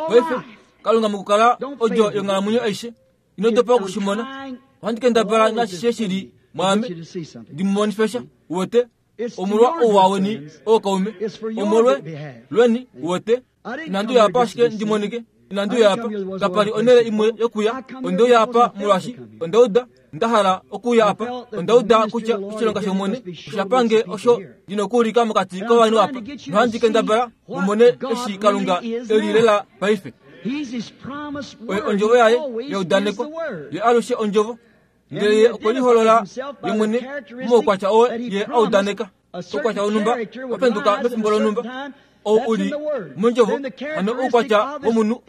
Paife Kalunga mokukala odjo yonghalamwenyo aishe inodopa okushimona. Ohandi kendabala nashishe shili mwaame ndimumonifesha wote omolwa ouwa weni ookaume omolwe lweni wote. Inandi uya apa ashike ndimonike. Inandi uya apa kapali onhele imwe yokuya. Ondeuya apa molwaashi ondauda ndahala okuuya apa. Ondauda kutya oshilonga shOmwene oshapange osho ndina okuulika mokati kovanhu apa. Nohandi kendabala mumone eshi Kalunga eli lela paife. Oye ondjovo yaye yaudanekwa ye alushe ondjovo ndele ye okweliholola ye mwene momaukwatya oo ye audaneka. Oukwatya wonhumba wapenduka mefimbo lonhumba ou uli mondjovo hano oukwatya womunhu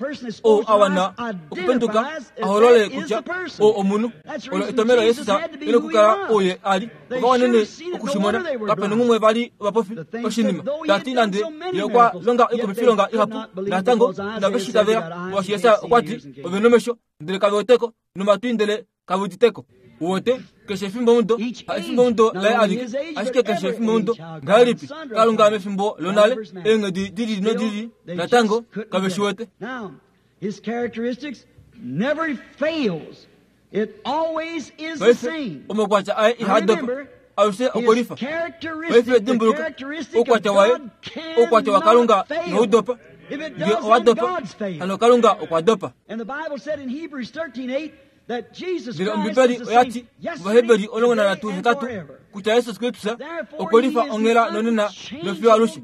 ou awana okupenduka aholole kutya ou omunhu. Olo etomelo Jesus ine okukala ouye ali ovawanene okushimona kapena ngumwe vali ovapofi oshinima tati nande ye okwa longa oikumifilonga ihapu natango inaveshitavela molwaashi Jesus okwati ove nomesho ndele kave weteko nomatwi ndele kave uditeko. Wote keshe efimbo mudo efimbo mudo laye alike ashike keshe efimbo mudo ngahelipi Kalunga mefimbo lonale eenghedi dilili nodilili natango kave shiwete. Paife omaukwatya aye ihadopa alushe okwelifa. Paife dimbuluka oukwatya waye oukwatya waKalunga inaudopa. Nge owadopa hano Kalunga okwadopa. Ndele Ombibeli oyati mOvaheberi omulongo nanhatu hetatu kutya Jesus Kristus okwelifa onghela nonena nofiyo alushe.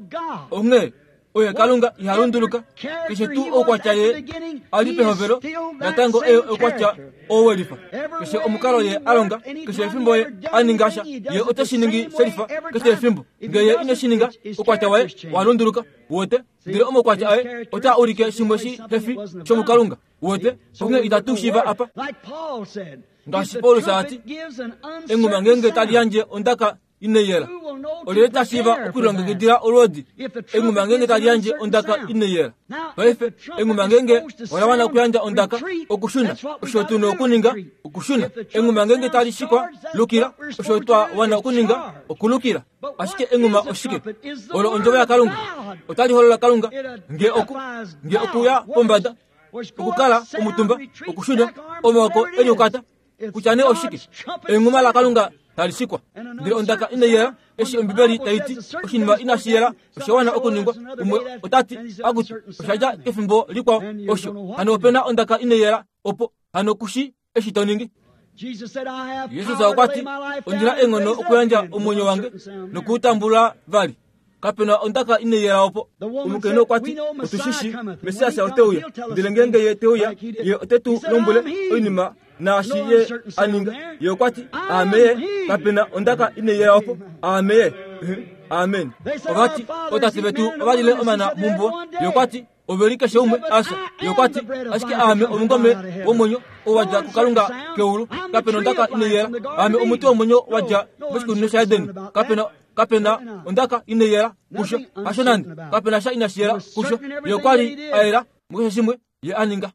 Onghee oye Kalunga ihalunduluka keshe tuu oukwatya ye ali pehovelo natango eye oukwatya owelifa. Keshe omukalo ye alonga keshe efimbo ye aninga sha ye ote shiningi shelifa keshe efimbo. Nge ye ine shininga oukwatya waye walunduluka wote ndele omaukwatya aye ota ulike shimwe shi hefi shomukalunga wote onghee itatu shiiva apa. Ngaashi Paulus ati enguma ngenge tali yandje ondaka ineyela olyelye tashiiva okulilongekidila olwoodi enghuma ngenge tali yandje ondaka ineyela paife enghuma ngenge ola wana okuyandja ondaka okushuna osho tuna okuninga okushuna enghuma ngenge tali shikwa lukila osho twa wana okuninga okulukila ashike enghuma oshike olo ondjovo yakalunga otali holola kalunga nge oku nge okuya pombada okukala omutumba okushuna omaoko eliukata kutya nee oshike enghuma lakalunga tali shikwa ndele ondaka ineyela eshi ombibeli taiti oshinima inashi yela osha wana okuningwa umwe otati akuti oshadja kefimbo likwao osho hano opena ondaka ineyela opo hano kushi eshi to ningi Jesus okwati ondina enghono okuyandja omwenyo wange nokuutambula vali kapena ondaka ineyela opo omukainhu okwati otushishi Messias oteuya ndele ngenge ye teuya ye otetu lombwele oinima naashi ye aninga ye okwati ameye kapena ondaka ineyela opo ameye amen ovati otate vetu ovalile omana mumbuwa ye okwati oveli keshe umwe asa ye okwati ashike aame omungome womwenyo owadja kukalunga keulu kapena ondaka ineyela aame omuti womwenyo wadja moshikunino shaedeni kapena kapena ondaka ineyela kusho hasho nande kapena sha inashiyela kusho ye okwali ayela mukeshe shimwe ye aninga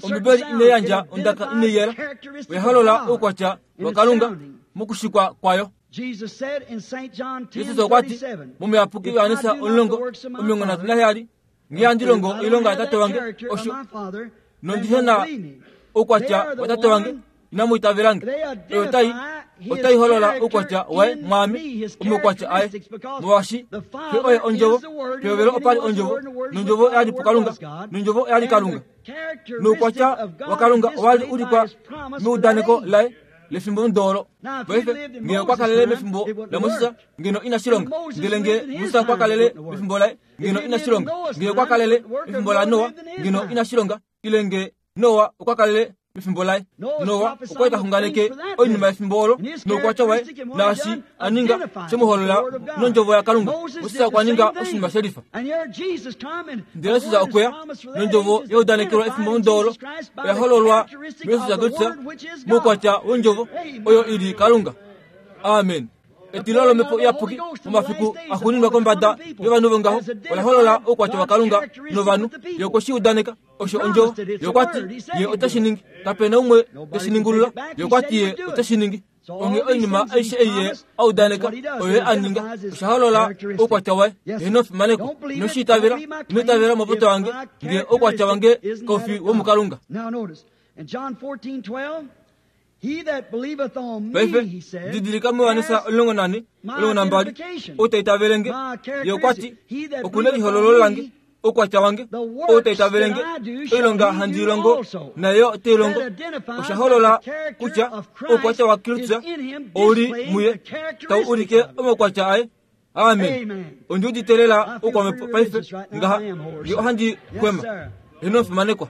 ombibeli ineyandja ondaka ineyela oyaholola oukwatya wakalunga mokushikwa kwayo Jesus okwati momuyapuki Yohanesa omulongo omilongo nhatu naheyali ngeyandi longo oilonga yatate wange osho nondihena oukwatya watate wange inamuitavelange oyo otai otai holola oukwatya waye mwaame omaukwatya aye molwaashi xe oye ondjovo pehovelo opali ondjovo nondjovo oyali pukalunga nondjovo oyali kalunga noukwatya wakalunga owali ulikwa meudaneko laye lefimbo ndoolo paife nge okwakalele mefimbo la Moses ngeno inashilonga ndele nge Musa okwakalele mefimbo laye ngeno inashilonga nge okwakalele mefimbo la Noa ngeno inashilonga ile nge Noa okwakalele mefimbo laye Noa okwali taxunganeke oinima yefimbo olo noukwatya waye naashi aninga shemuholola nondjovo yakalunga Moses okwaninga oshinima shelifa ndele Jesus okweya nondjovo yaudanekelwa efimbo ndoolo oyahololwa muYesus Kristus moukwatya wondjovo oyo ili kalunga amen etilo lomhepo iyapuki momafiku axuuninwa kombada yovanhu vongaho olaholola oukwatya wakalunga novanhu ye okwe shi udaneka osho ondjovo ye okwati ye oteshi ningi kapena umwe teshi ningulula ye okwati ye oteshi ningi onge oinima aishe ei ye audaneka oyo ye aninga osha holola oukwatya waye inofimaneko inoshiitavela inoitavela mopoto wange nge oukwatya wange kaufi womukalunga paife didilika muYohanesa omulongo nane omulongo nambali ou taitavelenge ye okwati okuna elihololo lange oukwatya wange ou taitavelenge oilonga handi ilongo nayo oteilongo osha holola kutya oukwatya wa Kristus ouli muye tau ulike omaukwatya aye amen ondiuditelela oukwamhepo paife ngaha nge ohandi kwema inofimanekwa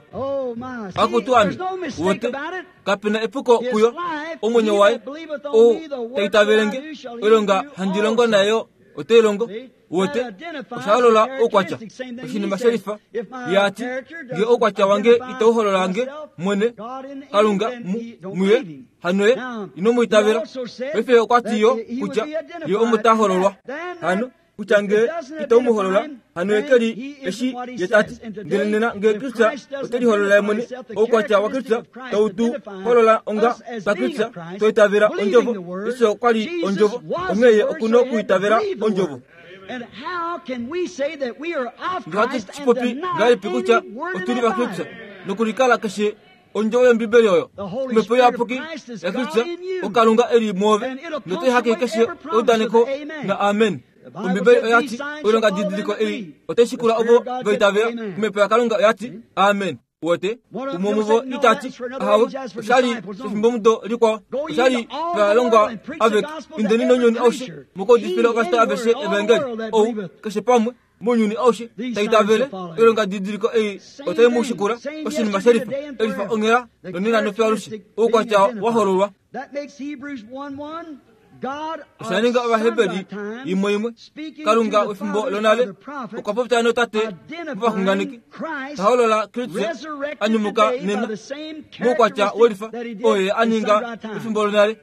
akutu ame wote kapena epuko kuyo omwenyo waye ou taitavelenge oilonga handi longo nayo oteilongo wote oshaholola oukwatya oshinima shelifa yaati nge oukwatya wange itauhololange mwene kalunga muye hanoye inomuitavela paife okwati yo kutya ye omutahololwa hano kutya nge itaumuholola hano ekeli eshi ye tati ndele nena nge Kristus oteliholola ye mwene oukwatya wa Kristus tautu holola onga pa Kristus toitavela ondjovo Yesu okwali ondjovo onghee ye okuna okuitavela ondjovo ngehatu shipopi ngahelipi kutya otuli va Kristus nokulikala keshe ondjovo yombibeli oyo omhepo iyapuki ya Kristus okalunga eli muove notoihake keshe eudaneko na amen ombibeli oyati oilonga didiliko ei oteshikula ovo vaitavela omhepo yakalunga oyati amen wote umwe muvo itati ahawe oshali shefimbomudo likwao oshali valongwa aveke indeni nounyuni aushe mukaudifile ovashita aveshe evangeli ou keshe pamwe mounyuni aushe taitavele oilonga didiliko ei otaimushikula oshinima shelifa elifa onghela nonena nofyalushe oukwatya wahololwa oshaninga ovaheberi imwe imwe kalunga wefimbo lonale okwa popya notate movaxunganeki taholola Kristus anyumuka nena moukwatya welifa oye aninga efimbo lonale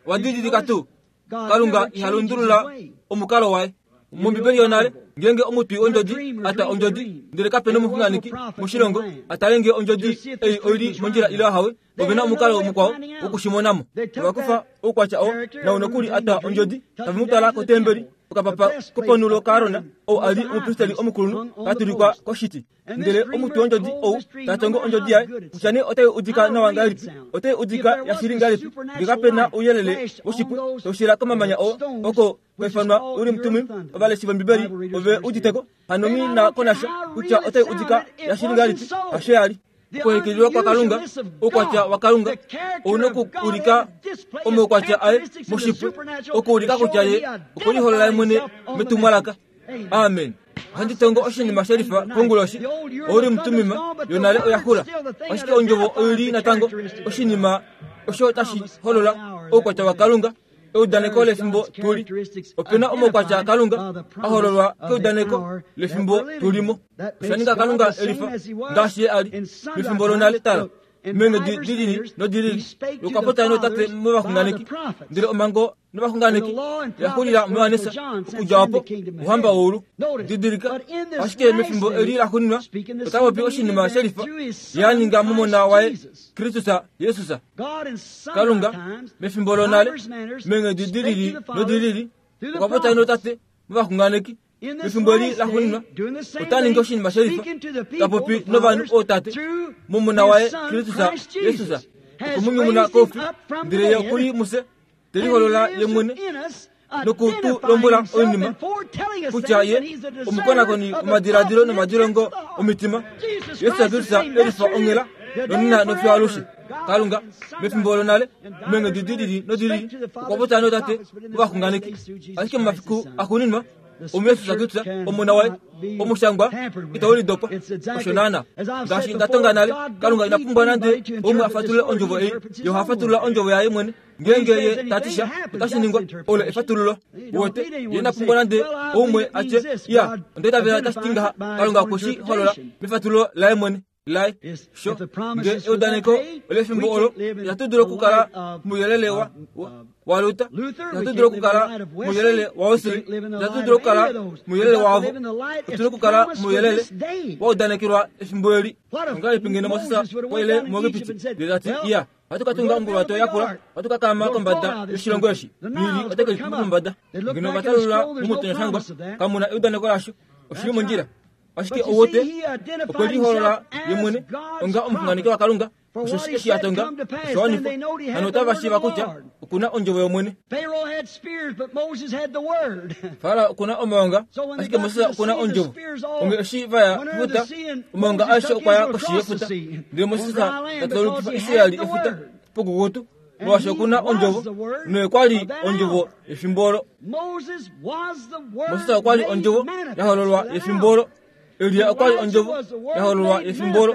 wadidilika tuu Kalunga iha lundulula omukalo waye. Mombibeli yonale ngenge omutwi ondjodi ata ondjodi ndele kapena omuxunganeki moshilongo atale nge ondjodi ei oili mondjila ile ahawe ovena omukalo mukwao wokushimonamo. Ovakufa oukwatya oo naunokuli ata ondjodi tavemutwala kotembeli okapapa koponulo kaArona ou ali omupristeli omukulunhu katulikwa koshiti. Ndele omutwi wondjodi ou tatongo ondjodi yaye kutya nee otai udika nawa ngahelipi, otai udika yashili ngahelipi, nge kapena ouyelele woshipwe taushila komamanya oo oko kwaifanwa Urim Tumim. Ovaleshi vOmbibeli ove uditeko hano nghi na konasha kutya otai udika yashili ngahelipi, hasho yali. Okuhekililwa kwaKalunga, oukwatya waKalunga ouna okuulika omaukwatya aye moshipwe, okuulika kutya ye okweliholola ye mwene metumwalaka. Amen. Ohandi tongo oshinima shelifa konguloshi. Ourim Tumim yonale oya xula, ashike ondjovo oili natango oshinima osho tashi holola oukwatya waKalunga. Eudaneko lefimbo tuli. Opena omaukwatya aKalunga a hololwa keudaneko lefimbo tulimo. Osha ninga Kalunga elifa ngaashi ye ali mefimbo lonale. Tala meenghedi dilili nodilili lokapota notate movaxunganeki, ndele omhango novaxunganeki yaxulila muJohannes okudja opo ouhamba woulu. Didilika, ashike mefimbo eli laxuuninwa ota popi oshinima shelifa ye a ninga momona waye Kristus Jesus. Kalunga mefimbo lonale meenghedi dilili nodilili okwa popya notate movaxunganeki. Mefimbo eli laxuuninwa ota ningi oshinima shelifa ta popi novanhu ootate momona waye Kristus Jesus. Okumunyumuna koufi, ndele ye okuli mufye teliholola ye mwene nokutu lombwela oinima kutya ye omukonakoni womadiladilo nomadilongo omitima. Jesus Kristus elifa onghela nonena nofiyo alushe. Kalunga mefimbo lonale meenghedi dilili nodilili okwa popya notate movaxunganeki, ashike momafiku axuuninwa omuYesus Kristus omona waye omushangwa itau lidopa. Osho naana ngaashi nda tonga nale, Kalunga ina pumbwa nande umwe a fatulule ondjovo ei. Ye oha fatulula ondjovo yaye mwene. Ngeenge ye ta ti sha, otashi ningwa. Olo efatululo. Wote ye ina pumbwa nande umwe a tye, ya onda itavela tashi ti ngaha. Kalunga okwe shi holola mefatululo laye mwene laye. Sho nge eudaneko olefimbo olo, itatu dulu okukala mouyelele wa waLuther, itatu dulu okukala mouyelele waWesley, itatu dulu okukala mouyelele waavo. Otuna okukala mouyelele wa udanekelwa efimbo eli. Ongahelipi ngeno Moses waile muEgipiti ndele tati, iya, ohatu ka tunga onguluwato yakula, ohatu ka kaama kombada yoshilongo eshi, Nili ote ke lipumba pombada. Ngeno ova talulula momutonyashangwa, kamuna eudaneko lasho. Oshili mondjila. Ashike ouwote okwe liholola ye mwene onga omuxunganeki waKalunga. Osho eshi a tonga osha wanifwa. Hano otava shiiva kutya okuna ondjovo yOmwene. Farao okuna omaonga, ashike Moses okuna ondjovo. Onge eshi va ya kefuta, omaonga aeshe okwa ya koshi yefuta, ndele Moses ta taulukifa Israeli efuta pokukutu, molwaashi okuna ondjovo, noye kwa li ondjovo yefimbo olo. Moses okwa li ondjovo ya hololwa yefimbo olo. Elia okwa li ondjovo ya hololwa yefimbo olo.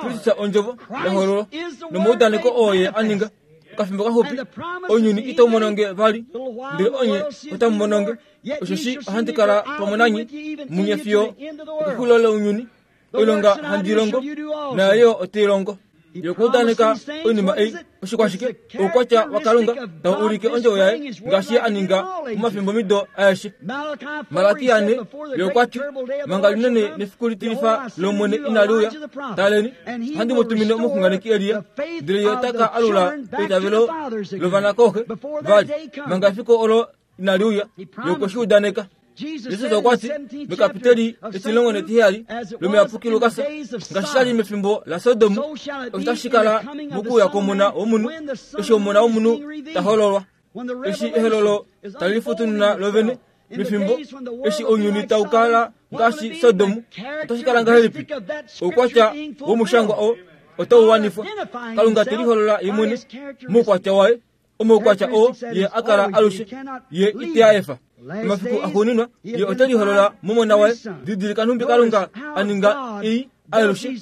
Kristus ondjovo ya hololwa nomaudaneko oo ye a ninga. Okafimbo kaxupi ounyuni itau mononge vali, ndele onye otamu mononge. Osheshi ohandi kala pamwe nanye munye fiyo okexulilo lounyuni. Oilonga handi longo nayo yo otei longo. Ye okwa udaneka oinima ei. Oshikwashike? Oukwatya waKalunga tau ulike ondjovo yaye ngaashi ye a ninga momafimbomido aeshe. Malaki ane ye okwa ti, manga linene nefiku litilifa lOmwene inali uya, taleni, ohandi mu tumine omuxunganeki Elia, ndele ye ota ka alula eitavelo lovanakooxe vali, manga efiku olo inali uya. Ye okwe shi udaneka. Jesus okwa ti mekapiteli etilongo netiheyali lomuyapuki Lukas, ngaashi sha li mefimbo laSodom, osho tashi kala mokuuya kwOmona wOmunhu, eshi Omona wOmunhu ta hololwa. Eshi ehololo tali lifutununa lovene mefimbo eshi ounyuni tau kala ngaashi Sodom, otashi kala ngahelipi? Oukwatya womushangwa oo otau wanifwa. Kalunga te liholola ye mwene moukwatya waye, omaukwatya oo ye a kala alushe, ye ite a efa. Momafiku axuuninwa ye ote liholola momona waye. Didilika nhumbi Kalunga a ninga ei alushe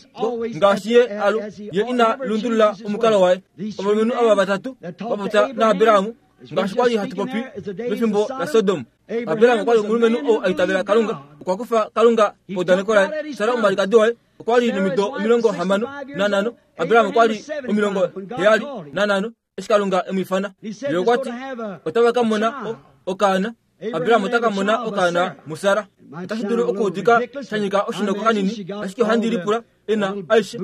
ngaashi ye alu ye ina lundulula omukalo waye. Ovalumenhu ava vatatu va popya naAbraham ngaashi kwali hatu popi mefimbo laSodom. Abraham okwa li omulumenhu ou a itavela Kalunga. Okwa kufa Kalunga paudaneko laye. Sara omwalikadi waye okwa li nomido omilongo hamano nanhano. Abraham okwa li omilongo heyali nanhano eshi Kalunga e mu ifana. Ye okwa ti otava ka mona okaana, Abraham ota ka mona okaana muSara. Otashi dulu okuudika sha nyika oshinoko kanini, ashike ohandi lipula ena aishe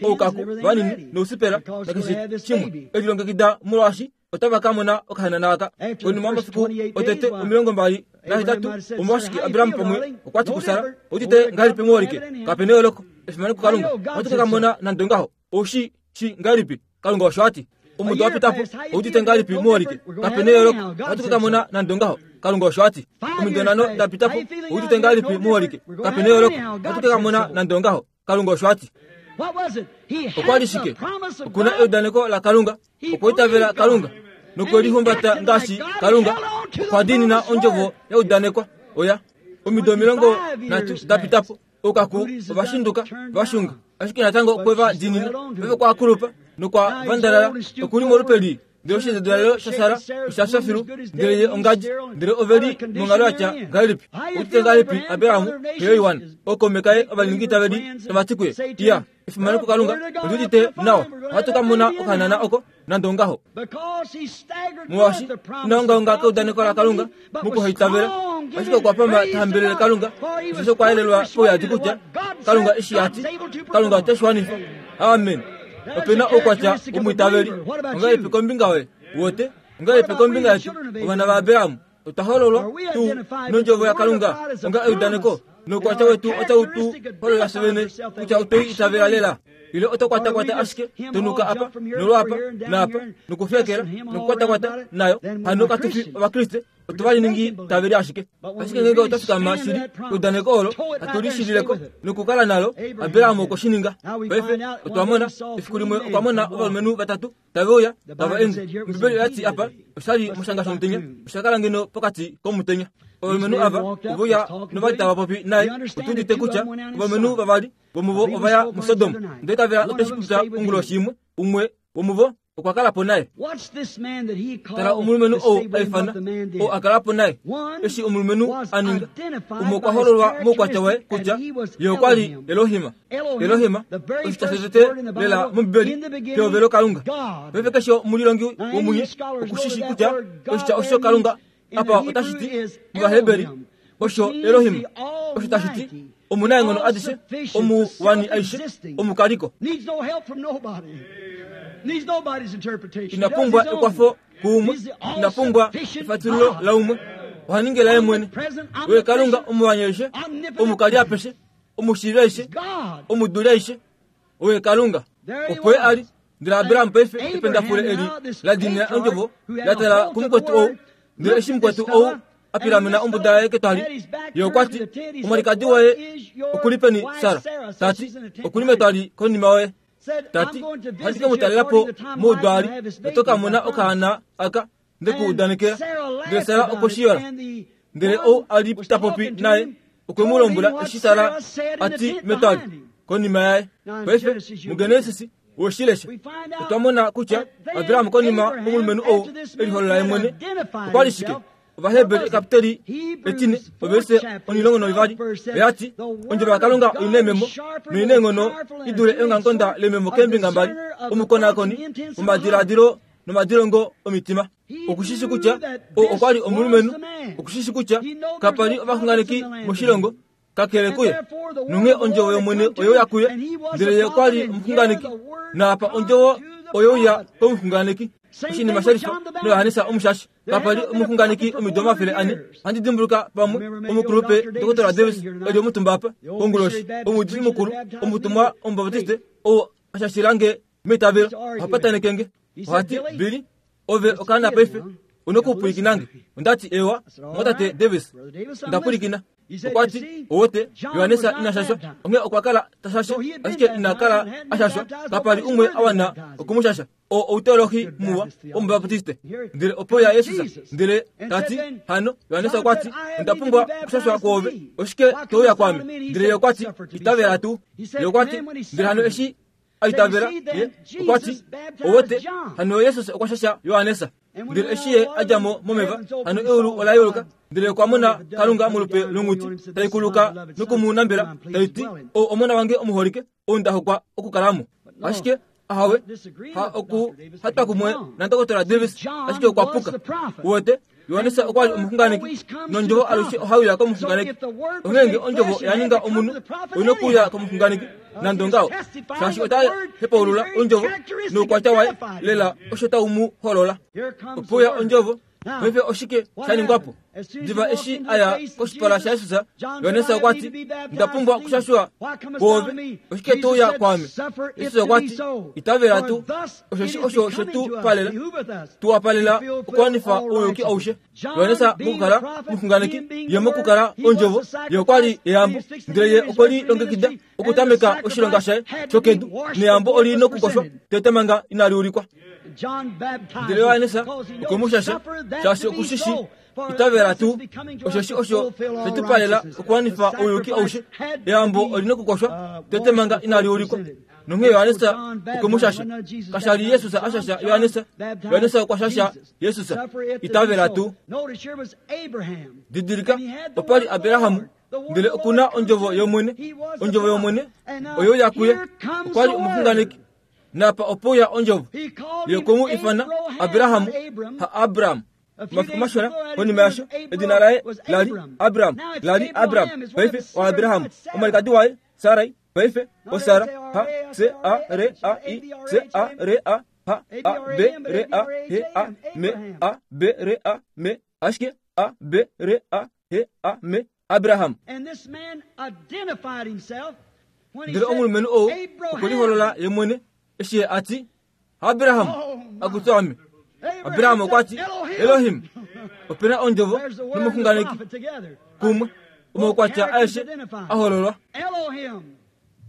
oukaku vanini nousipela nakeshe shimwe elilongekida molwaashi otava ka mona okahanana aka. Konima yomafiku otete omilongo mbali nahetatu, omolwashike Abraham pamwe okwa ti kuSara, "Outite ngahelipi muholike? Kape neyooloko, efimano kuKalunga. Ohatu ka mona nande ongaho. Oushi shi ngahelipi?" Kalunga osho a ti. Omudo wa pita po, outite ngahelipi muholike? Kape neyooloko, ohatu ka mona nande ongaho. Kalunga osho a ti. Omido nhano da pita po, outite ngahelipi muholike? Kape neyooloko, ohatu ka mona nande ongaho. Kalunga osho a ti. Okwa li shike? Okuna eudaneko laKalunga, okwa itavela Kalunga nokwelihumbata ngaashi Kalunga, okwa diinina ondjovo ya udanekwa. Oya omido omilongo nhatu da pita po, oukaku ovashinduka vashunga, ashike natango okwe va diinina. Paife okwa kulupa nokwa vandalala, okuli molupe lii. Ndele oshinzedalelo shaSara osha fya filu, ndele ye ongadji, ndele ove li monghalo yatya ngahelipi? Outite ngahelipi Abraham xe yoiwana, ookaume kaye ovaningi-itaveli tava ti kuye, "Iya, efimano kuKalunga, ondi udite nawa, ohatu ka mona okahanana oko nande ongaho." Molwaashi ina ongaonga keudaneko laKalunga mokuhaitavela, ashike okwa pama ta hambelele Kalunga, osheshi okwa yelelwa pouyadi kutya Kalunga eshi a ti, Kalunga ote shi wanifa. Amen. Ope na oukwatya womwiitaveli. Ongahelipi kombinga yoye? Wote ongahelipi kombinga yetu, ovana vaAbraham? Otwa hololwa tuu nondjovo yaKalunga onga eudaneko, noukwatya wetu otau tu holola fye vene kutya otwe i itavela lela. Ile oto kwatakwata ashike tonuka apa nolwaapa naapa nokufekela nokukwatakwata nayo. Hano katu fi Ovakriste, otwa valiningi taveli ashike. Ashike ngenge otwa fikama shili eudaneko olo, hatu lishilileko nokukala nalo. Abraham okwe shi ninga. Paife otwa mona efiku limwe okwa mona ovalumenhu vatatu tave uya tava ende. Ombibeli oya ti apa oshali moshanga shomutenya, osha kala ngeno pokati komutenya. Ovalumenhu ava ove uya novali tava popi naye. Otu udite kutya ovalumenhu vavali vomuvo ovaya muSodom, ndele tavela oteshi popya onguloshi imwe. Umwe womuvo okwa kala po naye. Tala omulumenhu ou a ifana, ou a kala po naye. Eshi omulumenhu a ninga, umwe okwa hololwa moukwatya waye kutya ye okwa li Elohim. Elohim, oshitya shotete lela mOmbibeli, pehovelo Kalunga. Paife keshe omulilongi womunye okushishi kutya oshitya osho Kalunga apa otashi ti mOvaheberi osho Elohim, osho tashi ti omunaenghono adishe, omuwani aishe, omukaliko. Ina pumbwa ekwafo kuumwe, ina pumbwa efatululo laumwe, oha ningi laye mwene. Oye Kalunga omuwani aishe, omukali apeshe, omushiivi aishe, omuduli aishe. Oye Kalunga. Opo ye a li. Ndele Abraham paife ependafule eli la diinina ondjovo la tala kumukwetu ou. Ndele eshi mukwetu ou a pilamena ombuda yaye ketwali, ye okwa ti, "Omwalikadi waye okuli peni Sara?" Ta ti, "Okuli metwali konima yoye." Ta ti, "Ohandi ke mu talela po moudwali, noto ka mona okaana aka nde ku udanekela." Ndele Sara okwe shi yola. Ndele ou a li ta popi naye okwe mu lombwela eshi Sara a ti metwali konima yaye. Paife muGenesis woshilesha otwa mona kutya Abraham konima omulumenhu ou eliholola ye mwene okwa li shike? Ovaheberi ekapiteli etine overse omilongo noivali oya ti, "Ondjovo yaKalunga oina ememo noina eenghono i dule eongamukonda lememo keembinga mbali, omukonakoni womadiladilo nomadilongo omitima." Okushishi kutya ou okwa li omulumenhu, okushishi kutya kapa li ovaxunganeki moshilongo kakele kuye. Nonghee ondjovo yOmwene oye uya kuye, ndele ye okwa li omuxunganeki, naapa ondjovo oye uya komuxunganeki. Oshinima shelifa noJohannes Omushashi. Kapa li omuxunganeki omido omafele ane. Ohandi dimbuluka pamwe omukulupe Dokotola Davis eli omutumba apa konguloshi, omuudifi mukulu, omutumwa Omubaptiste ou a shashilange meitavelo, oha pataneke nge. Oha ti, "Billy, ove okaana paife, una okupwilikina nge." Onda ti, "Ewa, mwatate Davis, nda pwilikina." Okwa ti, "Owote, Johannes ina shashwa, onghee okwa kala ta shashe, ashike ina kala a shashwa. Kapa li umwe a wana okumushasha. O outeolohi muwa wOmubaptiste." Ndele opo ya Jesus, ndele ta ti, "Hano, Johannes okwa ti, onda pumbwa okushashwa kwoove, oshike to uya kwaame?" Ndele ye okwa ti, "Itavela tuu." Ye okwa ti, ndele hano eshi a itavela, ye okwa ti, "Owote, hano Jesus okwa shasha Johannes." Ndele eshi ye a dja mo momeva, hano eulu ola yeuluka, ndele okwa mona Kalunga molupe longhuti tai kuluka nokumunambela, tai ti, "Ou omona wange omuholike, ou nda hokwa okukalamo." Ashike Ahawe ha oku hatwa kumwe nandokotola Davis ashike okwapuka uwete Yohanesa okwali omuxunganeki nondjovo alushe ohauya komuxunganeki onghenge ondjovo yaninga omunhu oyina okuuya komuxunganeki nande ongaho shaashi ota hepaulula ondjovo noukwatya waye lela osho tau mu holola opuya ondjovo paife oshike shaningwapo diva eshi aya koshipala shaYesus Yohanesa okwati ndapumbwa okushashwa kwoove oshike touya kwaame Yesus okwati itavela tu oshoshi osho shetu palela tuwapalela okuwanifa ouyuki aushe Yohanesa mokukala muxunganeki ye mokukala ondjovo ye okwali eyambo ndele ye okweli longekida okutameka oshilonga shaye shokedu neyambo oli nokukoshwa tete manga inali ulikwa ndele Yohanesa okwemushasha shaashi okushishi itavela tu oshoshi osho shetupalela okuwanifa ouyuki aushe eyambo oli nokukoshwa tete manga inali ulikwa nonghee Yohanesa okwemushasha kashali Yesus ashasha Yohanesa Yohanesa okwashasha Yesus itavela tu didilika opali Abrahamu ndele okuna ondjovo yomwene ondjovo yomwene oyo yakuye okwali omuxunganeki napa opuya ondjovo yekomu ifana Abrahamu ha Abraham mafiku mashona konima yasho edina laye lali Abraham lali Abraham paife wa Abraham omalikadi waye Sarai paife osara ha C A R A I C A R A H A B R A H A M A B R A M ashike A B R A H A M Abraham And this man identified himself when he ndele said, omulumenhu ou okweliholola ye mwene eshi ati Abraham akutwame Abraham okwati Elohim opena ondjovo There's the word and the nomuxunganeki prophet together. kumwe omaukwatya aeshe ahololwa Elohim.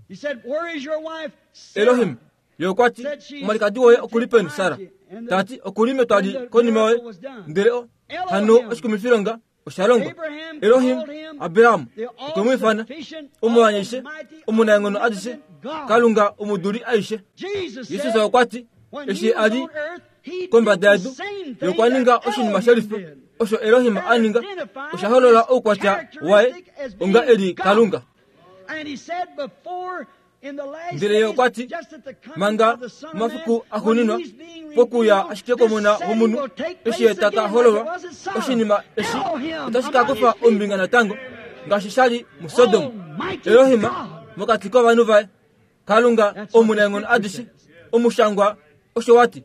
He said, where is your wife? Sarah? Elohim ye okwati omalikadi woye okulipeni Sara tati okulime twali konima yoye ndele o hano oshikumifilonga oshalongwa Elohim Abraham okwemwifana omuwanyishe omunaenghono adishe Kalunga omuduli aishe Jesus Yesus said, okwati when he eshi was ali on earth, he did kombada the yedu same thing yokwaninga that oshinima Elohim shelifa did. osho Elohim aninga oshaholola oukwatya waye onga eli Kalunga And he said before in the last ndele ye days, okwati just at the coming manga of the Son of Man, mafiku when axuninwa he's being pokuya revealed, ashike komona this setting womunhu will take eshi ye place taka again like hololwa it was at Sodom. oshinima eshi Elohim otashi ka among kufa his people. ombinga natango ngaashi shali muSodom Almighty Elohim God. mokati kovanhu vaye Kalunga omunaenghono adishe omushangwa osho wati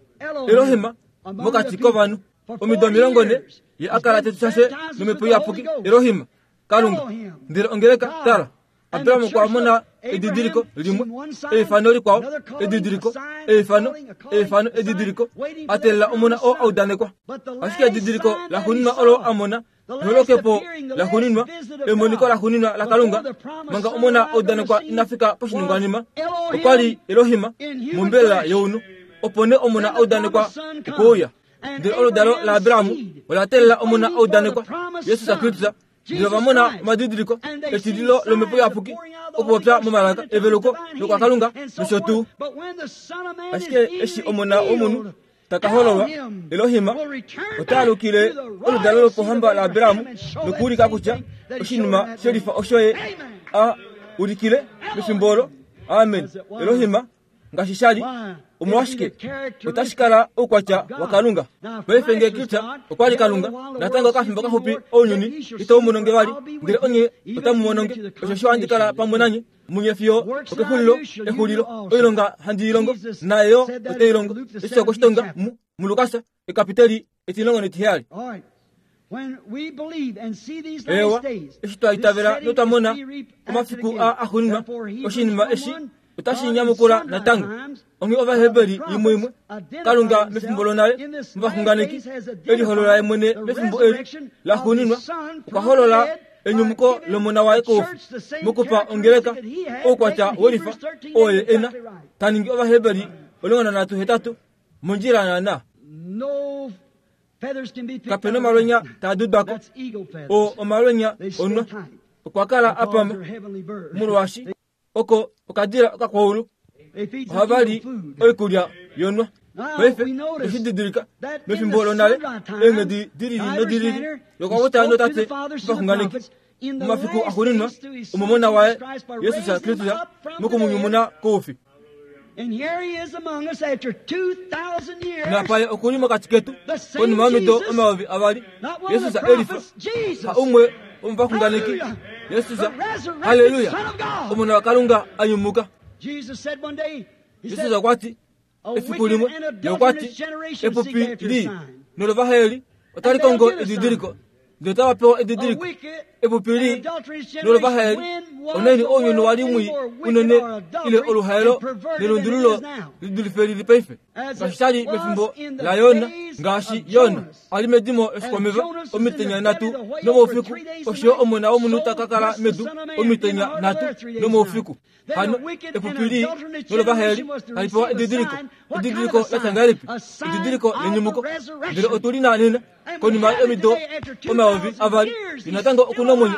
Elohim mokati kovanhu omido omilongo ne ye akala tetushashe nomhepo iyapuki Elohim Kalunga ndele ongeleka tala Abraham okwa mona edidiliko limwe eifano likwao edidiliko eifano eifano edidiliko atelela omona oo audanekwa ashike edidiliko laxuninwa olo amona nolokepo laxuninwa emoniko laxuninwa laKalunga manga omona audanekwa inafika poshiningwanima okwali Elohim mombelela younhu opo nee omona audanekwa okuuya ndele oludalo la Abrahamu ola teelela omona audanekwa Yesus Kristus ndele ovamona omadidiliko etililo lomhepo iyapuki okupopya momalaka eveluko lokwaKalunga nosho tuu ashike eshi omona womunhu taka hololwa Elohim ota alukile oludalo lopohamba la Abrahamu nokuulika kutya oshinima shelifa osho ye a ulikile mefimbo olo amen Elohim ngaashi shali omolwashike otashi kala oukwatya waKalunga paife ngee Kristo okwali Kalunga natango okafimbo kaxupi ounyuni itau mononge vali ndele onye otamu mononge osho handi kala pamwe nanye munye fiyo okexulilo exulilo oilonga handi ilongo naye yo ote ilongo eshi okoshitonga mu muLukas ekapiteli etilongo netiheyali All right. When we believe and see these ewa last days, eshi twa itavela this setting notwa mona is to be reaped omafiku again. a axuninwa Therefore, Hebrews oshinima eshi one one, otashi God in nyamukula sundry natango times, onghee Ovaheberi imwe imwe Kalunga mefimbo lonale muvaxunganeki eliholola ye mwene mefimbo eli laxuninwa okwa holola enyumuko lomona waye koufi mokupa ongeleka oukwatya welifa oo ye ena taningi Ovaheberi omulongo nanhatu hetatu mondjila naana No feathers can be picked kapena out of omalwenya that. taa dudwako That's eagle feathers. o omalwenya They stay onwa tight okwa kala because apama they're heavenly birds. molwaashi oko okadila okakwaulu They feed some ohava li eagle food. oikulya yonwa Now, paife we notice oshididilika that in mefimbo the lonale sundry time, eenghedi dilili divers nodilili manner, he yokwakutya spoke to notate the fathers through the vaxunganeki prophets in the mumafiku last axuninwa days through his Son omomona Jesus waye Christ by Yesus raising him Kristus up from the mokumunyumuna dead koufi Napaye okuli mokati ketu konima yomido omayovi avali Yesus elifa ha umwe womuvaxunganeki Yesus haleluya omona waKalunga anyumuka. Jesus okwati efiku limwe yokwati epupi li nolovaheli otali kongo edidiliko ndele otava pewa edidiliko epupi li nolovaheli oneni ounyuni wali mwi unene ile oluhaelo nelundululo lidulife lili paife ngaashi shali mefimbo la Yona ngaashi Yona ali medimo eshikwameva omitenya nhatu nomoufiku osho omona womunhu ta kala medu omitenya nhatu nomoufiku. Hano epupi li nolovaheli tali pewa edidiliko edidiliko latya ngahelipi edidiliko lenyumuko ndele otuli na nena konima yomido omayovi avali natango okuna omwenyo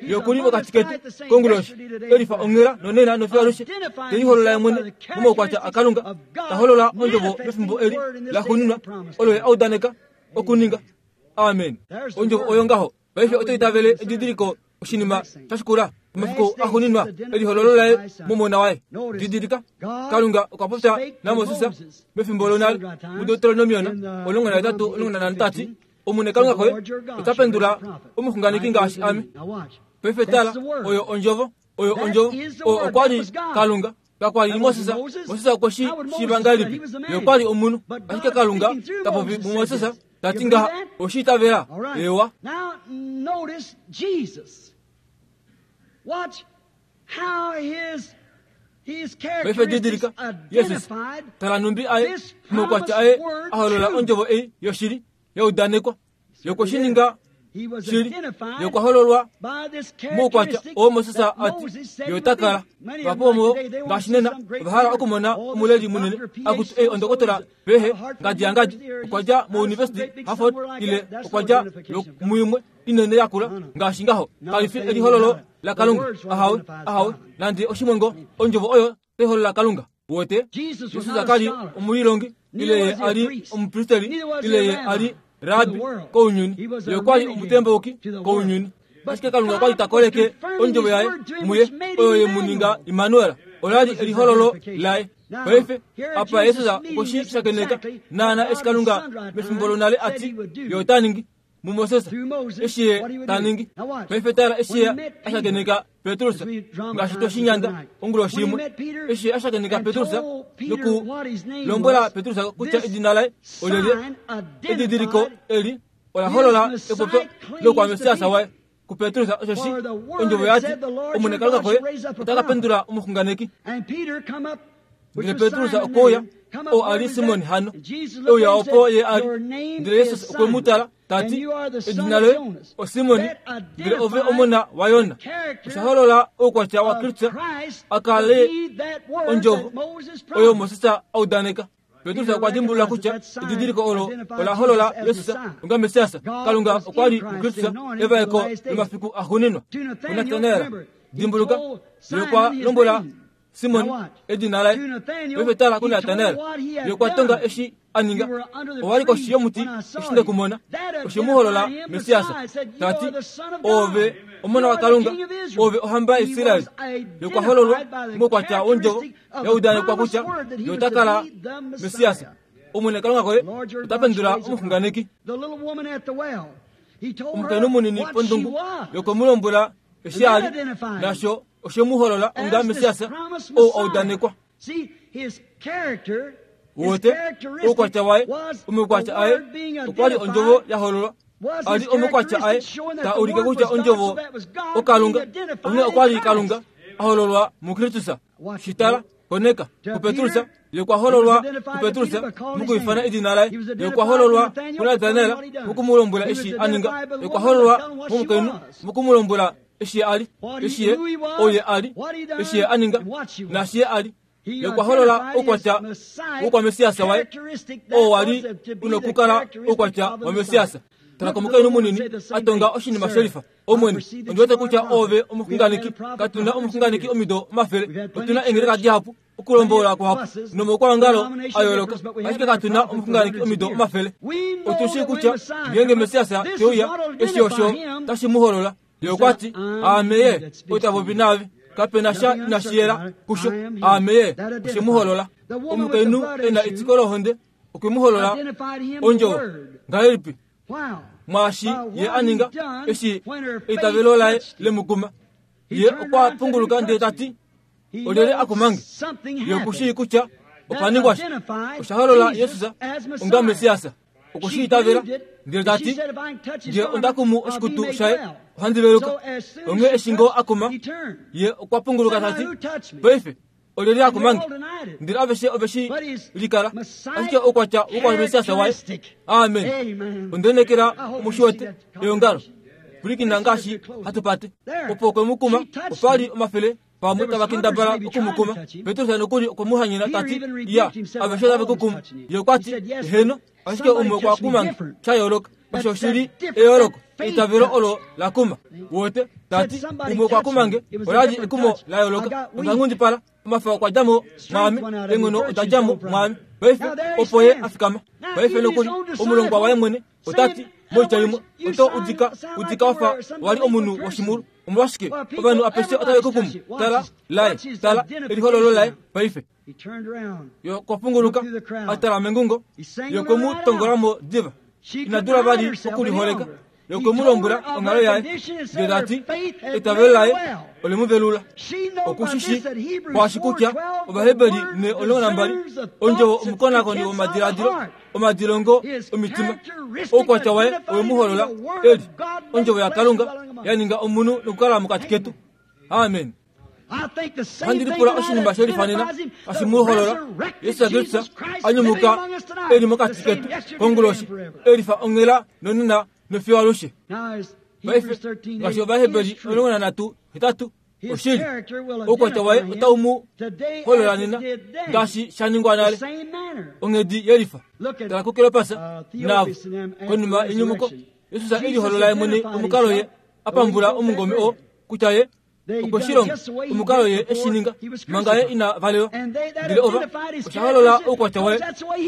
yokuli mokati ketu konguloshi elifa onghela nonena nofiyo alushe teliholola ye mwene momaukwatya aKalunga taholola ondjovo mefimbo eli laxuuninwa olo ye audaneka okuninga. Amen. Ondjovo oyo ngaho paife oto itavele edidiliko oshinima shashikula omafiku axuuninwa elihololo laye momona waye. Didilika Kalunga okwa popya naMoses mefimbo lonale muDeuteronomion omulongo nahetatu omulongo nanhano tati omune Kalunga koye ota pendula omuxunganeki ngaashi ame. Paife tala oyo ondjovo oyo ondjovo oyo okwali Kalunga kakwali Moses. Moses okwe shi shiiva ngahelipi? Ye okwali omunhu ashike Kalunga tapopi muMoses tati ngaha oshi itavela ewa. Paife didilika Jesus tala numbi aye omaukwatya aye aholola ondjovo ei yoshili yaudanekwa yokweshininga shili yokwahololwa moukwatya oo Moses ati yotakala vapomo ngaashi nena ovahala okumona omuleli munene akuti ei ondokotola pehe ngadi ya ngadi okwadja mouniversity Harvard ile okwadja muimwe inene yakula ngaashi ngaho kalifi elihololo laKalunga ahawe ahawe nande oshimwengo ondjovo oyo teholola Kalunga wote. Jesus akali omulilongi ile ye ali omupristeli ile ye ali rabi kounyuni ye okwali omutembouki kounyuni ashike Kalunga okwali takoleke ondjovo yaye muye oyo ye muninga Immanuel olali elihololo laye. Paife apa Jesus okweshi shakeneka naana eshi Kalunga mefimbo lonale ati ye otaningi muMoses eshi ye taningi. Paife tala eshi ye ashakeneka Petrus ngaashi toshinyanda onguloshi imwe eshi ye ashakeneka Petrus noku lombwela Petrus kutya edina laye olyelye edidiliko eli ola holola epopyo lokwamesiasa waye kuPetrus oshoshi ondjovo yati omune Kalunga koye ota kapendula omuxunganeki. Ndele Petrus okouya oo ali Simon hano euya opo ye ali ndele Jesus okwe mu tala tati edina loye oSimoni ndele ove omona waYona. Oshaholola oukwatya waKristus akale ondjovo oyo Moses audaneka. Petrus okwa dimbulula kutya edidiliko olo ola holola Jesus onga Mesiasa. Kalunga okwali muKristus evaeko lomafiku axuuninwa. KuNatanael dimbuluka ye okwa lombwela Simon edina laye. Paife tala kuNatanael ye okwa tonga eshi aninga owali koshi yomuti eshi ndekumona oshe muholola Mesiasa tati ove omona waKalunga ove ohamba yaIsraeli. Ye okwa hololwa moukwatya wondjovo yaudanekwa kutya ye ota kala Mesiasa. Omwene Kalunga koye ota pendula omuxunganeki. Omukainhu munini pondungu ye okwe mu lombwela eshi ali nasho oshe mu holola onga Mesiasa ou audanekwa. Wote oukwatya waye omaukwatya aye okwali ondjovo yahololwa ali omaukwatya aye ta ulike kutya ondjovo oKalunga onghee okwali Kalunga ahololwa muKristus. Shitala koneka kuPetrus ye okwa hololwa kuPetrus mukuifana edina laye ye okwa hololwa kuNatanael mukumulombwela eshi aninga ye okwa hololwa momukainhu mukumulombwela eshi ye ali eshi ye oye ali eshi ye aninga nashi ye ali. Ye okwa holola oukwatya wokwamesiasa waye oo wali unokukala oukwatya wamesiasa. Tala komukainhu munini atonga oshinima shelifa omwene ondiwete kutya ove omuxunganeki katuna omuxunganeki omido omafele otuna eengeleka dihapu okulombola kuhapu nomaukwangalo ayooloka ashike katuna omuxunganeki omido omafele. Otushi kutya ngeenge Mesiasa teuya eshi osho tashi mu holola. Ye okwati aame ye otapopi naave. Kapena sha inashiyela kusho aame ye oshemuholola. Omukainhu ena etiko lohonde okwemuholola ondjovo ngahelipi mwaashi ye aninga eshi eitavelo laye lemukuma. Ye okwa punguluka ndele tati olyelye akumange. Ye okushii kutya opaningwa sha oshaholola Yesus onga Mesiasa. Okushiitavela ndele tati nge ondakumu oshikutu shaye ohandi veluka. Onghee eshi ngoo akuma ye okwa punguluka tati paife olyelye akumange. Ndele aveshe oveshi likala ashike oukwatya wokwa waye. Amen. Ondenekela omushiwete eongalo pulikina ngaashi hatupate opo okwemukuma opali omafele pamwe tavakendabala okumukuma. Petrus nokuli okwemuhanyena tati ya aveshe tave kukuma. Ye okwati heno ashike umwe okwa kumange shayooloka. Osho shili eyooloko eitavelo olo lakuma. Wote tati umwe okwa kumange olali ekumo la yooloka. Ondangundipala omafa okwa djamo mwaame enghono oda djamo mwaame. Paife opo ye afikama. Paife nokuli omulongwa waye mwene otati moitya imwe oto udika udika wafa wali omunhu woshimulu. Omolwashike ovanhu apeshe otave kukumu. Tala laye tala elihololo laye paife. Ye okwa punguluka atala mengungo. Ye okwemutongolamo diva. Inadula vali okuliholeka. Ye okwemulombwela onghalo yaye ndele tati eitavelo laye olemuvelula. Okushishi kwaashi kutya Ovaheberi ne omulongo nambali ondjovo omukonakoni womadiladilo omadilongo omitima oukwatya waye owemuholola eli ondjovo yaKalunga ya ninga omunhu nokukala mokati ketu. Amen. Ohandi lipula oshinima shelifanena hashi muholola Yesus Kristus anyumuka eli mokati ketu konguloshi elifa onghela nonena nofiyo alushe. Paife ngaashi Ovaheberi omulongo nanhatu hetatu oshili oukwatya waye otau mu holola nena ngaashi sha ningwa nale onghedi yelifa. Tala kuKleopas navo konima yenyumuko Yesus eliholola ye mwene omukalo ye apambula omungome oo kutya ye okweshilonga omukalo ye eshininga manga ye ina valelwa. Ndele ova oshaholola oukwatya waye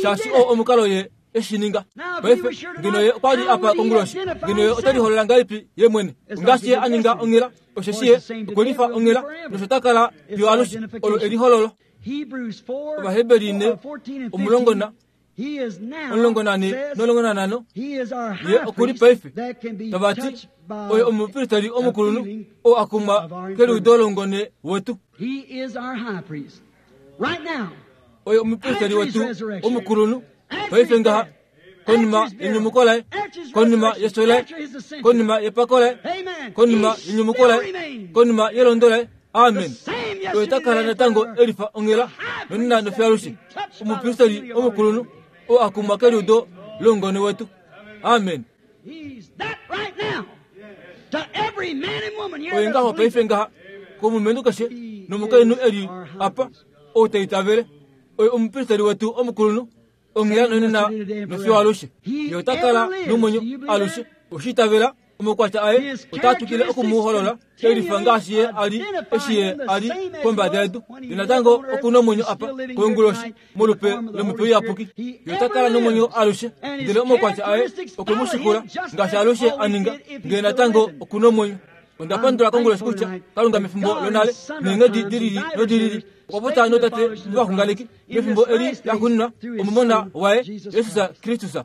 shaashi oo omukalo ye eshininga. Paife ngeno ye okwali apa konguloshi ngeno ye oteliholola ngahelipi ye mwene ngaashi ye aninga onghela osheshi ye okwelifa onghela nosho takala fiyo alushe olo elihololo. Ovaheberi ne omulongo na omulongo nane nomulongo nanhano ye okuli paife tavati oye omupristeli omukulunhu oo akumwa keliudo loungone wetu. Oye omupristeli wetu omukulunhu paife ngaha konima yenyumuko laye konima yeso laye konima yepako laye konima yenyumuko laye konima yelondo laye. Amen. Oye takala natango elifa onghela nonena nofiyo alushe omupristeli omukulunhu oo akumwa keliudo loungone wetu. Amen. Oye ngaho paife ngaha komulumenhu keshe nomukainhu eli apa ou taitavele oye omupristeli wetu omukulunhu onghela nonena nofiyo alushe. Ye otakala nomwenyo alushe. Oshitavela omukwatya aye otatwikile okumuholola elifa ngaashi ye ali eshi ye ali kombada yedu. Ye natango okuna omwenyo apa konguloshi molupe lomhepo iyapuki. Ye otakala nomwenyo alushe ndele omukwatya aye okwemushikula ngaashi alushe aninga ngee natango okuna omwenyo. Ondapandula konguloshi kutya Kalunga mefimbo lonale neenghedi dilili nodilili okwa popya notate novaxunganeki mefimbo eli laxuuninwa omumona waye Yesus Kristus.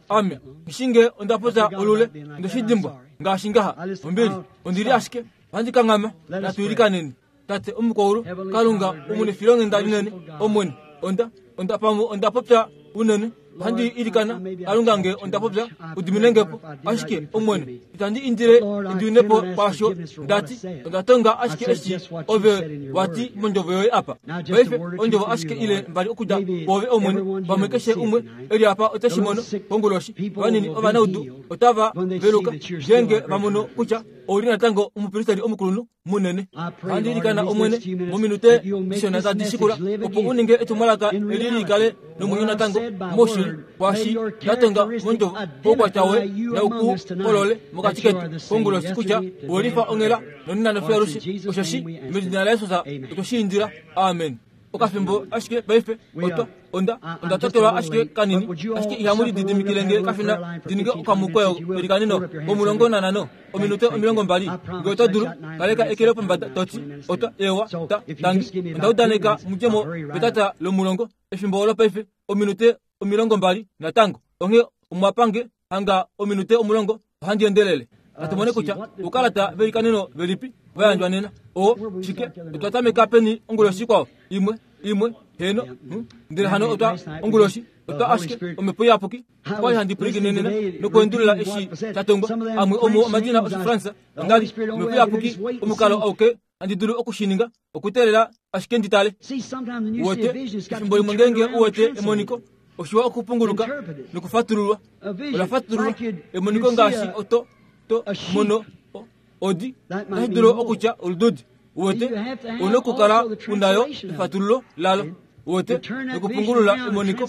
Ame ngishinge ondapopya olule ondeshidimbwa ngaashi ngaha ombili ondili ashike ohandi kanghama. Natuilikaneni. Tate omukwaulu Kalunga omunefilonghenda linene Omwene onda onda pamwe ondapopya unene ohandi ilikana Kalunga nge ondapopya udiminengepo ashike Omwene itandi indile endiwinepo kwaasho ndati ondatonga ashike eshi ove wati mondjovo yoye apa. Paife ondjovo ashike ile mbali okudja kwoove Omwene pamwe keshe umwe eli apa oteshimono konguloshi vanini ovanaudu otava veluka ngeenge vamono kutya ouli natango omupristeli omukulunhu munene. Ohandi ilikana Omwene mominute dishona tadi shikula opo uninge etumwalaka eli likale nomwenyo natango moshili kwaashi ndatonga mondjovo oukwatya woye naukuholole mokati ketu konguloshi kutya owelifa onghela nonena nofiyo alushe osheshi medina laYesus otweshiindila. Amen. okafimbo ashike paife otwa onda onda totelwa ashike kanini ashike ihamu lididimikile nge kafina ndininge okamukweyo kelikanino omulongo nanano ominute omilongo mbali nge oto dulu kaleka ekele pombada toti otwa ewa ta tangi onda udaneka mudjemo petata lomulongo efimbo olo paife ominute omilongo mbali natango onge omwapange hanga ominute omulongo ohandi endelele natumone kutya ukalata velikanino velipi vayandjwa nena o shike otwa tameka peni onguloshi kwao imwe imwe heno ndele hano otwa onguloshi otwa ashike omhepo iyapuki okwali handi pwilikine nokuendulula eshi sha tongwa amwe omuo omadina Oshifransa ondali omhepo iyapuki omukalo auke handi dulu okushininga okuteelela ashike nditale uwete efimbo limwe ngenge uwete emoniko oshiwa okupunguluka nokufatululwa olafatululwa emoniko ngaashi oto to mono odi otashi dulu okutya olududi uwete una okukala unayo efatululo lalo uwete nokupungulula emoniko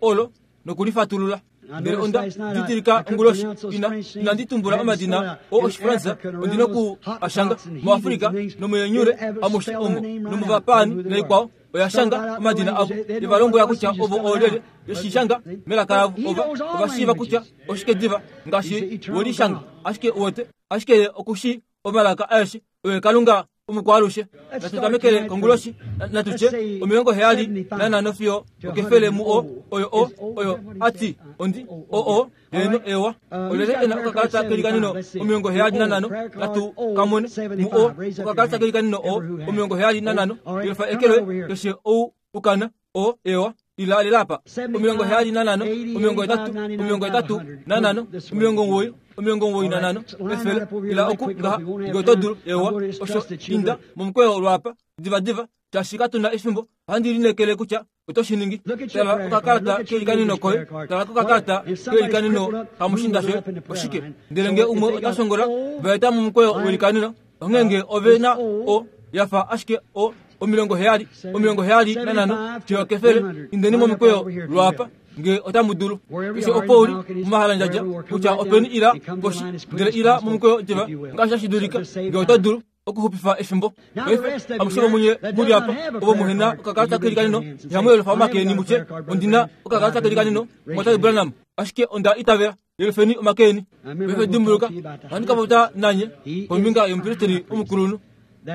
olo nokulifatulula ndele onda didilika onguloshi ina inandi tumbula omadina o Oshifransa ondina oku ashanga muAfrika nomuyenyure amushe omo nomuvapani naikwao oyashanga omadina avo ivalombwela kutya ovo oolyelye yeshishanga melaka lavo ova ovashiiva kutya oshike diva ngaashi welishanga ashike uwete ashike ye okushi omalaka aeshe oye Kalunga omukwalushe natutamekele konguloshi natutye omilongo heyali nanano fiyo okefele mu o oyo o oyo ati ondi o o heno ewa olyelye ena okakalata kelikanino omilongo heyali nanano natu kamone mu o okakalata kelikanino o omilongo heyali nanano yelufa ekelwe keshe ou ukana o ewa ila lilapa omilongo heyali nanano omilongo etatu omilongo etatu nanano omilongo omugoyi omilongo omugoyi nanano efele ila oku ngaha nge oto dulu ewa osho inda momukweyo lwapa divadiva shaashi katuna efimbo ohandi linekele kutya oto shi ningi tala okakalata kelikanino koye tala kokakalata kelikanino kamushinda shoye oshike ndele nge umwe ota shongola vaeta momukweyo welikanino onghee nge ove na o yafa ashike o omilongo heyali omilongo heyali nanano fiyo kefele indeni momukweyo lwapa nge otamu dulu keshe opo uli mumahalandjadja kutya openi ila poshi ndele ila momukweyo diva ngaashi tashi dulika nge oto dulu okuxupifa efimbo paife amushe vomunye muli apa ovo muhena okakalata kelikanino ihamu yelufa omakeeni mutye ondina okakalata kelikanino mwatate Branham ashike onda itavela yelufeni omakeeni paife dimbuluka ohandi ka popya nanye kombinga yomupristeli omukulunhu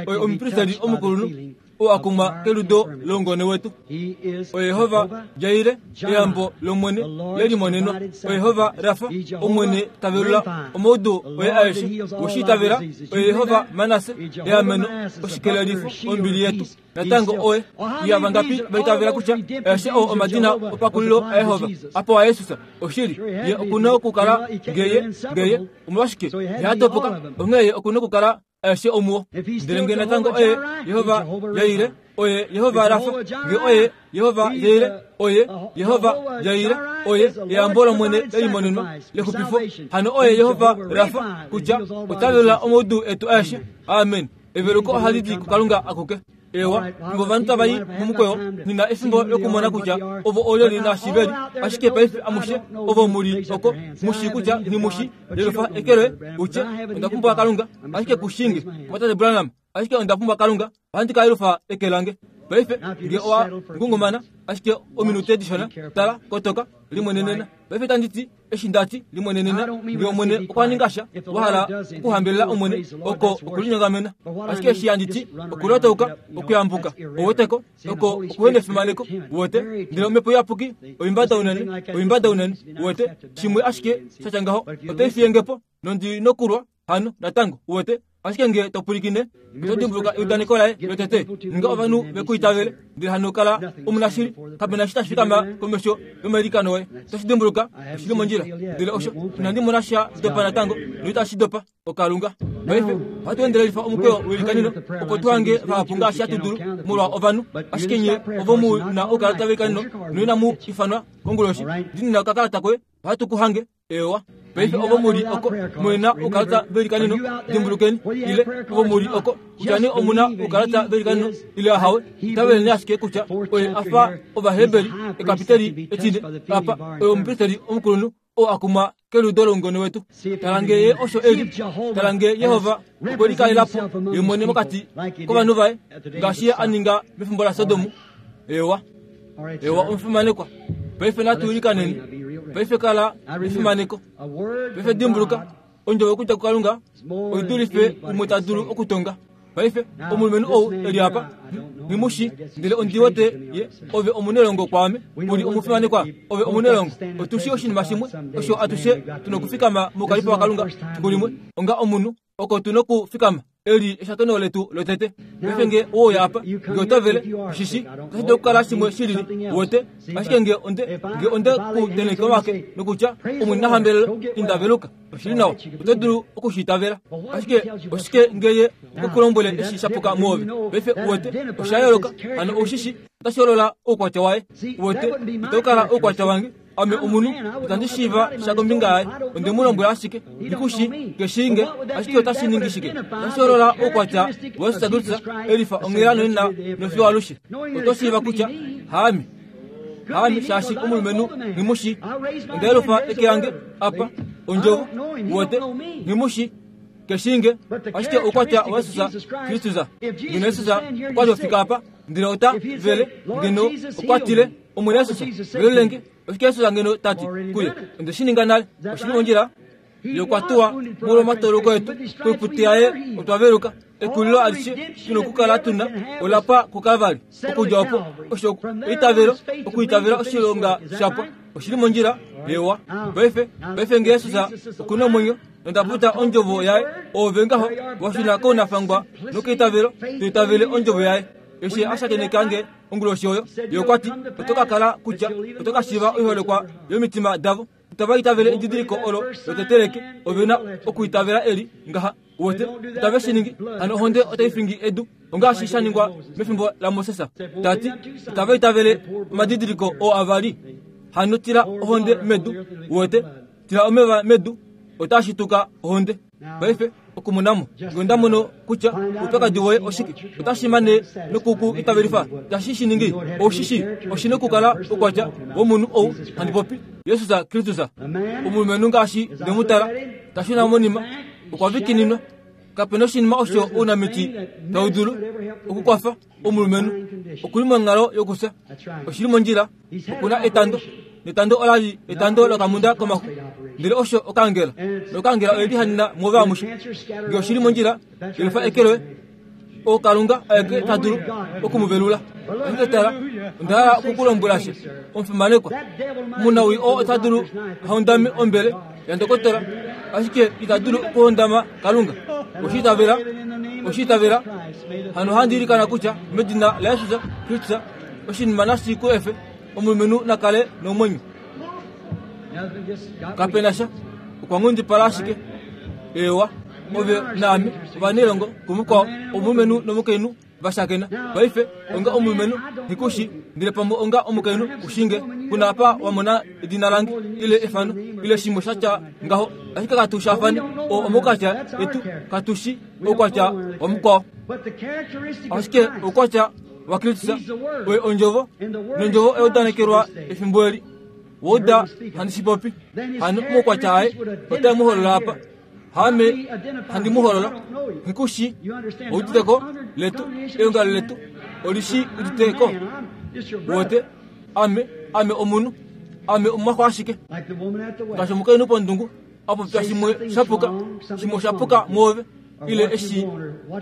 oye omupristeli omukulunhu oo akumwa keludo longone wetu oye Yehova Jaire eyambo lomwene lelimonenwa oye Yehova Rafa omwene tavelula omaudu oye aeshe woshiitavela oye Yehova Manase eameno oshikelelifo ombili yetu natango oye iyavangapi vaitavela kutya aeshe oo omadina opakulilo aYehova apo aYesusa oshili ye okuna okukala ngeye ngeye omolwashike ihatopoka onghee ye okuna okukala aeshe omuwo ndele nge natango oye Yehova Jaire oye Yehova Rafa nge oye Yehova Jaire oye Yehova Jaire oye eyambo lomwene lelimonenwa lexupifo hano oye Yehova Rafa kutya otavelula omaudu etu aeshe amen eveluko ohali di kuKalunga akuke ewa fimbo ovanhu tavayi momukweyo nina efimbo lokumona kutya ovo olyeli nashiveli ashike paife amushe ovo muli oko mushi kutya nimushi yelufa ekelwe utye onda pumbwa Kalunga ashike kushinge mwatate Branham ashike onda pumbwa Kalunga ohandi ka yelufa eke lange paife nge owa ngungumana ashike ominute dishona tala kotoka limwenenena paife tanditi eshi ndati limwenenena nge omwene okwa ninga sha wahala okuhambelela omwene oko okulinyongamena ashike eshi yanditi okulotauka okuyambuka oweteko oko okuhena efimaneko uwete ndele omhepo iyapuki oimbada unene oimbada unene uwete shimwe ashike shatya ngaho otaifiyengepo nondi nokulwa hano natango uwete ashike nge topwilikine oto dimbuluka eudaneko laye lotete ninga ovanhu vekuitavele ndele hano kala omunashili kapena shi tashi fikama komesho yomailikano oye otoshi dimbuluka oshili mondjila ndele osho inandi mona sha dopa natango noitashi dopa oKalunga paife ohatu endelelifa omukweyo welikanino opo tuhange vahapu ngaashi hatu dulu molwa ovanhu ashike nye ovo mu na oukalata velikanino noinamu ifanwa konguloshi ndinina okakalata koye ohatu ku hange ewa paife ovo muli oko mwena oukalata velikanino dimbulukeni ile ovo muli oko kutya ne omuna oukalata velikanino ile ahawe itaveleni ashike kutya oye afa Ovaheberi ekapiteli etine apa oye omupristeli omukulunhu oo akumwa keludo longone wetu tala nge ye osho eli tala nge Yehova okwe likalelapo ye mwene mokati kovanhu vaye ngaashi ye a ninga mefimbo laSodomu Ewa ewa omufimanekwa paife natuulikaneni paife kala efimaneko paife dimbuluka ondjovo okudja kuKalunga oidulife umwe ta dulu okutonga paife omulumenhu ou eli apa ngimushi ndele ondiwete ye ove omunelongo kwaame uli omufimanekwa ove omunelongo otushi oshinima shimwe osho atushe tuna okufikama mokalipo waKalunga fiku limwe onga omunhu oko tuna okufikama eli eshakeno letu lotete paife nge ouya apa nge otovele shishi otashi dulu okukala shimwe shilili wote ashike nge onde nge onde kuteneke omake nokutya omwene nahambelelo indaveluka oshili nawa oto dulu okushitavela ashike oshike ngeye okukulombwele eshi shapuka muove paife wote osha yooloka hano oushishi otashi holola oukwatya waye wote itau oukwatya wange ame omunhu itandi shiiva sha kombinga yaye onde mu lombwela ashike ndikushi keshinge ashike otashi ningi shike otashi holola oukwatya waYesus Kristus elifa onghela nonena nofiyo alushe oto shiiva kutya haame haame shaashi omulumenhu ngimushi ondaelufa eke yange apa ondjovo wote ngimushi keshinge ashike oukwatya waYesus Kristus ngeno Yesus okwali ofika apa ndele ota vele ngeno okwatile omwene Yesus velolenge oshike Yesus ngeno tati kuye onde shininga nale oshili mondjila yokwatuwa molwomatoloko etu koiputi yaye otwaveluka ekulilo alishe tuna okukala tuna olapa kuKalvari okudja opo osho eitavelo okuitavela oshilonga shapwa oshili mondjila ewa paife paife nge Yesus okuna omwenyo nondaputa ondjovo yaye ove ngaho washuna kounafangwa nokeitavelo toitavele ondjovo yaye eshi ashakenekange onguloshi oyo yokwati otoka kala kutya otoka shiiva oiholekwa yomitima davo itava itavele edidiliko olo loteteleke ovena okuitavela eli ngaha wote itave shiningi hano ohonde otai fingi edu ongaashi sha ningwa mefimbo laMoses tati itava itavele omadidiliko oo avali hano tila ohonde medu wote tila omeva medu otashituka ohonde paife okumunamo nge ndamono kutya oupyakadi woye oshike otashi mane nokuku itavelifa tashi shiningi oushishi oshina okukala oukwatya womunhu ou handi popi Yesus Kristus omulumenhu ngaashi ndemutala tashuna monima okwa vikininwa kapena oshinima osho ounamiti tau dulu okukwafa omulumenhu okuli monghalo yokufya oshili mondjila okuna etando netando olali etando lokamunda komaxu ndele osho okangela nokangela oyeli hanina mwove amushe nge oshili mondjila yelufa eke loye okalunga aeke ta dulu okumuvelula ashike tala onda hala okukulombwela she omufimanekwa omunawii oo ota dulu haundame ombele yandokotola ashike ita dulu okuhondama Kalunga oshiitavela oshiitavela hano handi ilikana kutya medina laYesus Kristus oshinima nashi ku efe omulumenhu nakale nomwenyo kapena sha okwa nghundipala ashike ewa ove naame ovanelongo kumukwao omulumenhu nomukainhu vashakena paife onga omulumenhu hikushi ndele pamwe onga omukainhu ushinge kuna apa wamona edina lange ile efano ile shimwe shatya ngaho ashike katushafane o omokwatya etu katushi oukwatya wamukwao ashike oukwatya waKristus oye ondjovo nondjovo eyaudanekelwa efimbo eli wouda handi shipopi hano omaukwatya aye otae mu holola apa haame handi mu holola hikushi outiteko letu eongalo letu olishi uditeko wote ame ame omunhu ame omumwaxo ashike ngaashi omukainhu pondungu apopya shimwe shapuka shimwe oshapuka mwoove ile eshi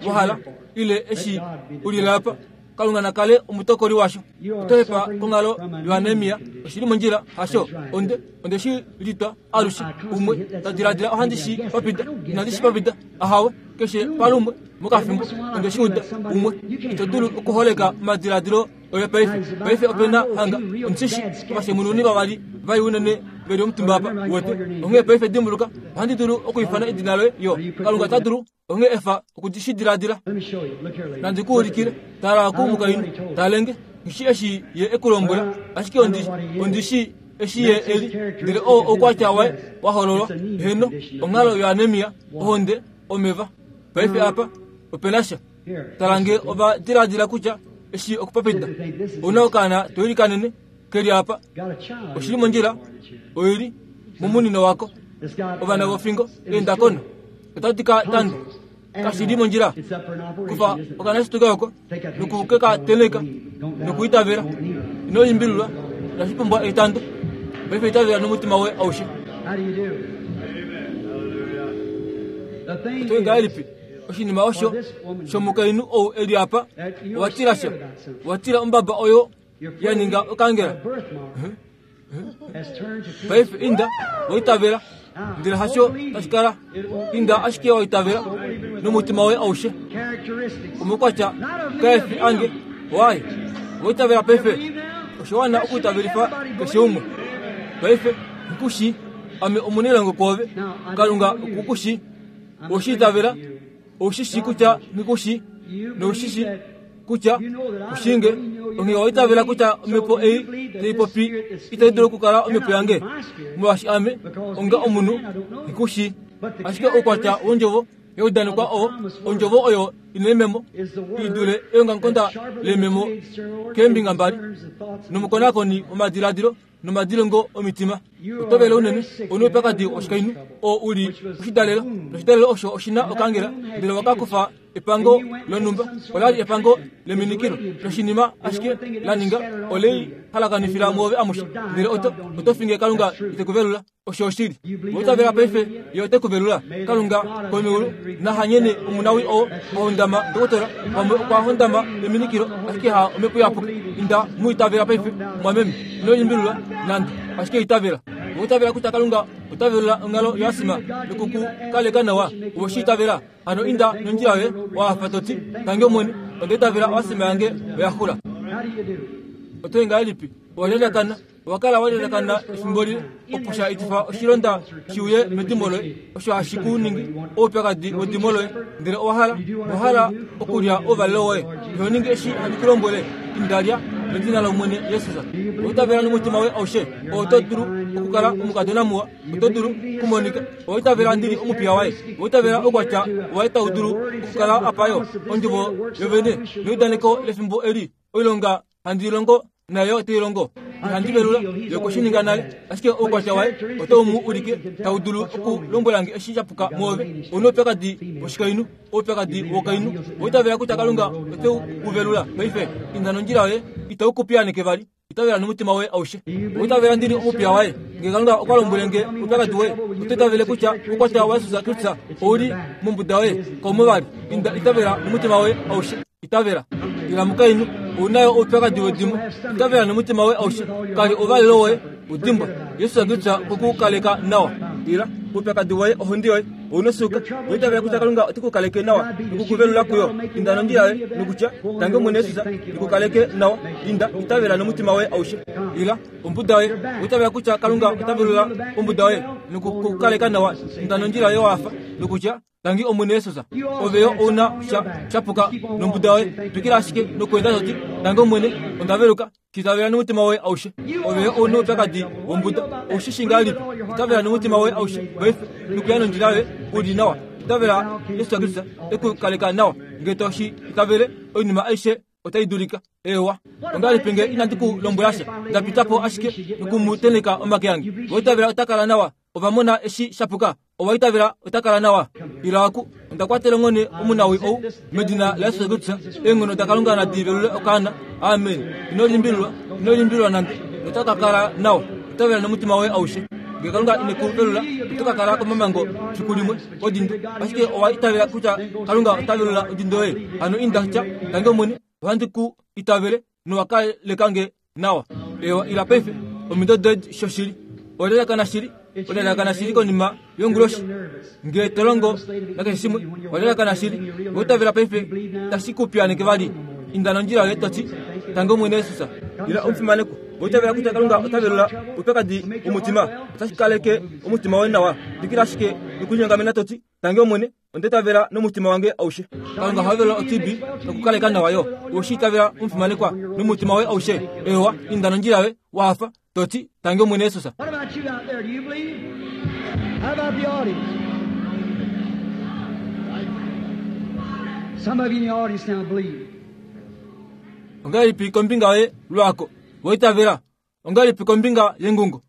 wahala ile eshi ulila apa Kalunga nakale omutokoli washo otohepa konghalo yoanemia oshili mondjila hasho onde onde shi litwa alushe umwe tadiladila ohandi shi papita inandi shi papita ahawe keshe palumwe mokafimbo onde shi uda umwe ito dulu okuholeka omadiladilo oyo paife paife opena hanga ondishi ovashemununi vavali vai unene veli omutumba apa wote onghee paife dimbuluka ohandi dulu okuifana edina loye yo Kalunga ta dulu onghee efa okudishidiladila nandi kuulikile tala ku mukainhu talenge ngishi eshi ye ekulombwela ashike ondishi eshi ye eli ndele oo oukwatya waye wahololwa heno onghalo yoanemia ohonde omeva paife apa opena sha tala nge ova diladila kutya eshi okupapita ouna okaana toilikanene keli apa oshili mondjila oili momunino wako ovana vofingo eendakona otadi ka tanda kashili mondjila kufa okanasituka oko nokukeka teneka Nokuitavela ino limbililwa inashi pumbwa etando. Paife itavela nomutima woye aushe. Oto ngahelipi oshinima osho shomukainhu ou eli apa owatila sha owatila ombaba oyo ya ninga okangela. Paife inda waitavela ndele hasho tashikala inda ashike waitavela nomutima woye aushe. Omukwatya kaefi ange waye waitavela paife osho wana okuitavelifa keshe umwe. Paife nkushi ame omunelongo kwoove Kalunga okukushi oshitavela oshishi kutya nikushi noshishi kutya ushinge onge waitavela kutya omhepo ei taipopi itai dulu okukala omhepo yange molwaashi ame onga omunhu nikushi ashike oukwatya wondjovo yaudanekwa oo ondjovo oyo ina ememo idule eongamukonda lememo keembinga mbali nomukonakoni womadiladilo nomadilongo omitima. Otovele unene ouna oupyakadi woshikainhu oo uli oshidalelo noshidalelo osho oshina okangela ndele wakakufa epango lonhumba olali epango leminikilo noshinima ashike la ninga olei halakanifila mwoove amushe ndele oto oto finge Kalunga itekuvelula. Osho oshili outavela paife ye otekuvelula. Kalunga komeulu nahanyene omunawi oo ahondama ndokotola pamwe okwa hondama eminikilo ashike ha omhepo yapuka. Inda muitavela paife mwameme ino limbililwa nande ashike itavela. Outavela kutya Kalunga otavelula onghalo yoasima nokukukaleka nawa owoshitavela. Hano inda nondjila yoye wahafa toti tange Omwene onda itavela oasima yange oyaxula. Oto ngahelipi owalyalakana owakala walyalakana efimbo lile opo sha etifa oshilonda shiuye medimo loye osho hashi ku ningi oupyakadi wedimo loye ndele owahala owahala okulya ouvalelo woye iho ningi eshi handi ku lombwele indalya medina lOmwene Jesus. Oitavela nomutima woye aushe oto dulu okukala omukadona muwa oto dulu kumonika oitavela ndili omupiya waye oitavela oukwatya waye tau dulu okukala apayo ondjovo yovene neudaneko lefimbo eli oilonga handi longo nayo otai longo ihandi velula yokushininga nale ashike oukwatya waye otau mu ulike tau dulu okulombwelange eshi sha puka mwoove. Ouna oupyakadi woshikainhu oupyakadi wokainhu oitavela kutya Kalunga oteu ku velula paife inda nondjila yoye itau ku piyaaneke vali itavela nomutima woye aushe. Oitavela ndili omupiya waye ngee Kalunga okwa lombwele nge oupyakadi woye oto itavele kutya oukwatya waJesus Kristus ouli mombuda yoye kaumo vali. Inda itavela nomutima woye aushe itavela. Ila mukainhu ounayo oupyakadi wedimo itavela nomutima woye aushe kali ouvalelo woye udimbwa Yesus Kristus okwe nawa. Ila oupyakadi woye ohondi yoye ouna osuuka oitavela kutya Kalunga ote ku kaleke nawa nokukuvelula kuyo. Inda nondjila yoye nokutya tange Omwene Jesus ikukaleke nawa. Inda itavela nomutima woye aushe. Ila ombuda yoye oitavela kutya Kalunga ota velula ombuda yoye nokukukaleka nawa. Inda nondjila yoye wafa nokutya tangi Omwene Jesus. Ove yo ouna sha shapuka nombuda yoye twikila ashike nokuenda toti tangi Omwene onda veluka kitavela nomutima woye aushe. Ove yo ouna oupyakadi wombuda oushishi ngahelipi itavela nomutima woye aushe paife nokuya nondjila yoye uli nawa itavela Yesu Kristus ekukaleka nawa ngee toshi itavele oinima aishe otai dulika. Ewa ongahelipi nge inandi ku lombwela sha ndapitapo ashike nokumuteneka omake ange oitavela otakala nawa ovamona eshi shapuka owaitavela otakala nawa. Ila aku onda kwatela onghone omunawi ou medina laYesus Kristus eenghono daKalunga nadi velule okaana. Amen. Ino limbililwa ino limbililwa nande notaka kala nawa itavela nomutima woye aushe. Ngee Kalunga ine ku velula oto ka kala komamango fiku limwe odindo ashike owa itavela kutya Kalunga ota velula odindo yoye. Hano inda tya tange Omwene ohandi ku itavele nowakalekange nawa. Ewa ila paife omido doye shoshili olyalakana shili olyalakana shili konima yonguloshi ngee tolongo nakeshe shimwe olyalakana shili outavela paife tashi ku piyaaneke vali. Inda nondjila yoye toti tange Omwene Jesus. Ila omufimaneko oitavela kutya Kalunga ota velula oupyakadi womutima otashi kaleke omutima woye nawa. Twikila ashike nokulinyongamena toti tange Omwene onda itavela nomutima wange aushe. Kalunga oha velula o-T B nokukaleka nawa yo oshi itavela omufimanekwa nomutima woye aushe. Ewa inda nondjila yoye wahafa toti tange Omwene Jesus. What about you out there? Do you believe? How about the audience? Some of you in the audience now believe. Ongahelipi kombinga yoye lwako waitavela? Ongahelipi kombinga yengungo?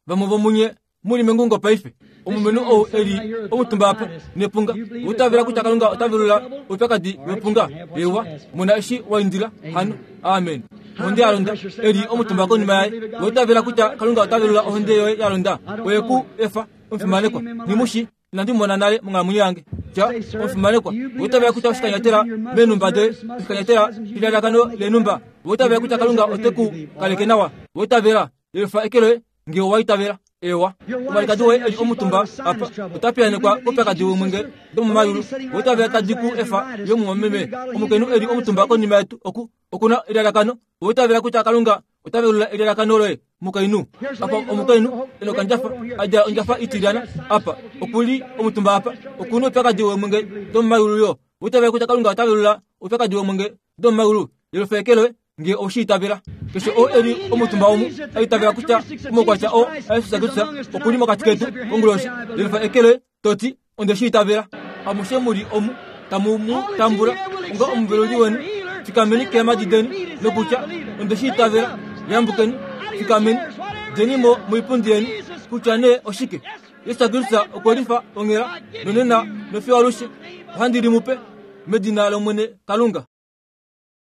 Vamwe vomunye muli mengungo paife. Omulumenhu ou eli omutumba apa nepunga, outavela kutya Kalunga ota velula oupyakadi wepunga? Ewa, mona eshi wa indila hano. Amen. Ohonde ya londa eli omutumba konima yaye, outavela kutya Kalunga ota velula ohonde yoye ya londa? Oye ku efa omufimanekwa. Nghimushi, inandi mona nale monghalamwenyo yange. Tya omufimanekwa, outavela kutya oshikanyatela meenhumba doye, oshikanyatela shelalakano leenhumba, outavela kutya Kalunga ote ku kaleke nawa? Outavela? Yelufa eke loye ngee owa itavela. Ewa, omwalikadi woye eli omutumba apa ota piyaanekwa koupyakadi womwenge domomayulu. Outavela tadi ku efa yo mumwameme omukainhu eli omutumba konima yetu oku okuna elalakano. Outavela kutya Kalunga ota velula elalakano loye mukainhu? Apa omukainhu ena okandjafa a djala ondjafa itilyana apa okuli omutumba apa okuna oupyakadi womwenge domomayulu yo. Outavela kutya Kalunga ota velula oupyakadi womwenge domomayulu? Yelufa eke loye ngee oweshi itavela. Keshe oo eli omutumba omu a itavela kutya omaukwatya oo aJesus Kristus okuli mokati ketu konguloshi, yelufa eke loye to ti, onde shi itavela. Amushe mu li omu tamu mu tambula onga omuveluli weni, fikameni keemhadi deni nokutya, onde shi itavela. Yambukeni, fikameni, djeni mo moipundi yeni, kutya nee oshike. Jesus Kristus okwe lifa onghela nonena nofiyo alushe. Ohandi li mu pe medina lOmwene Kalunga.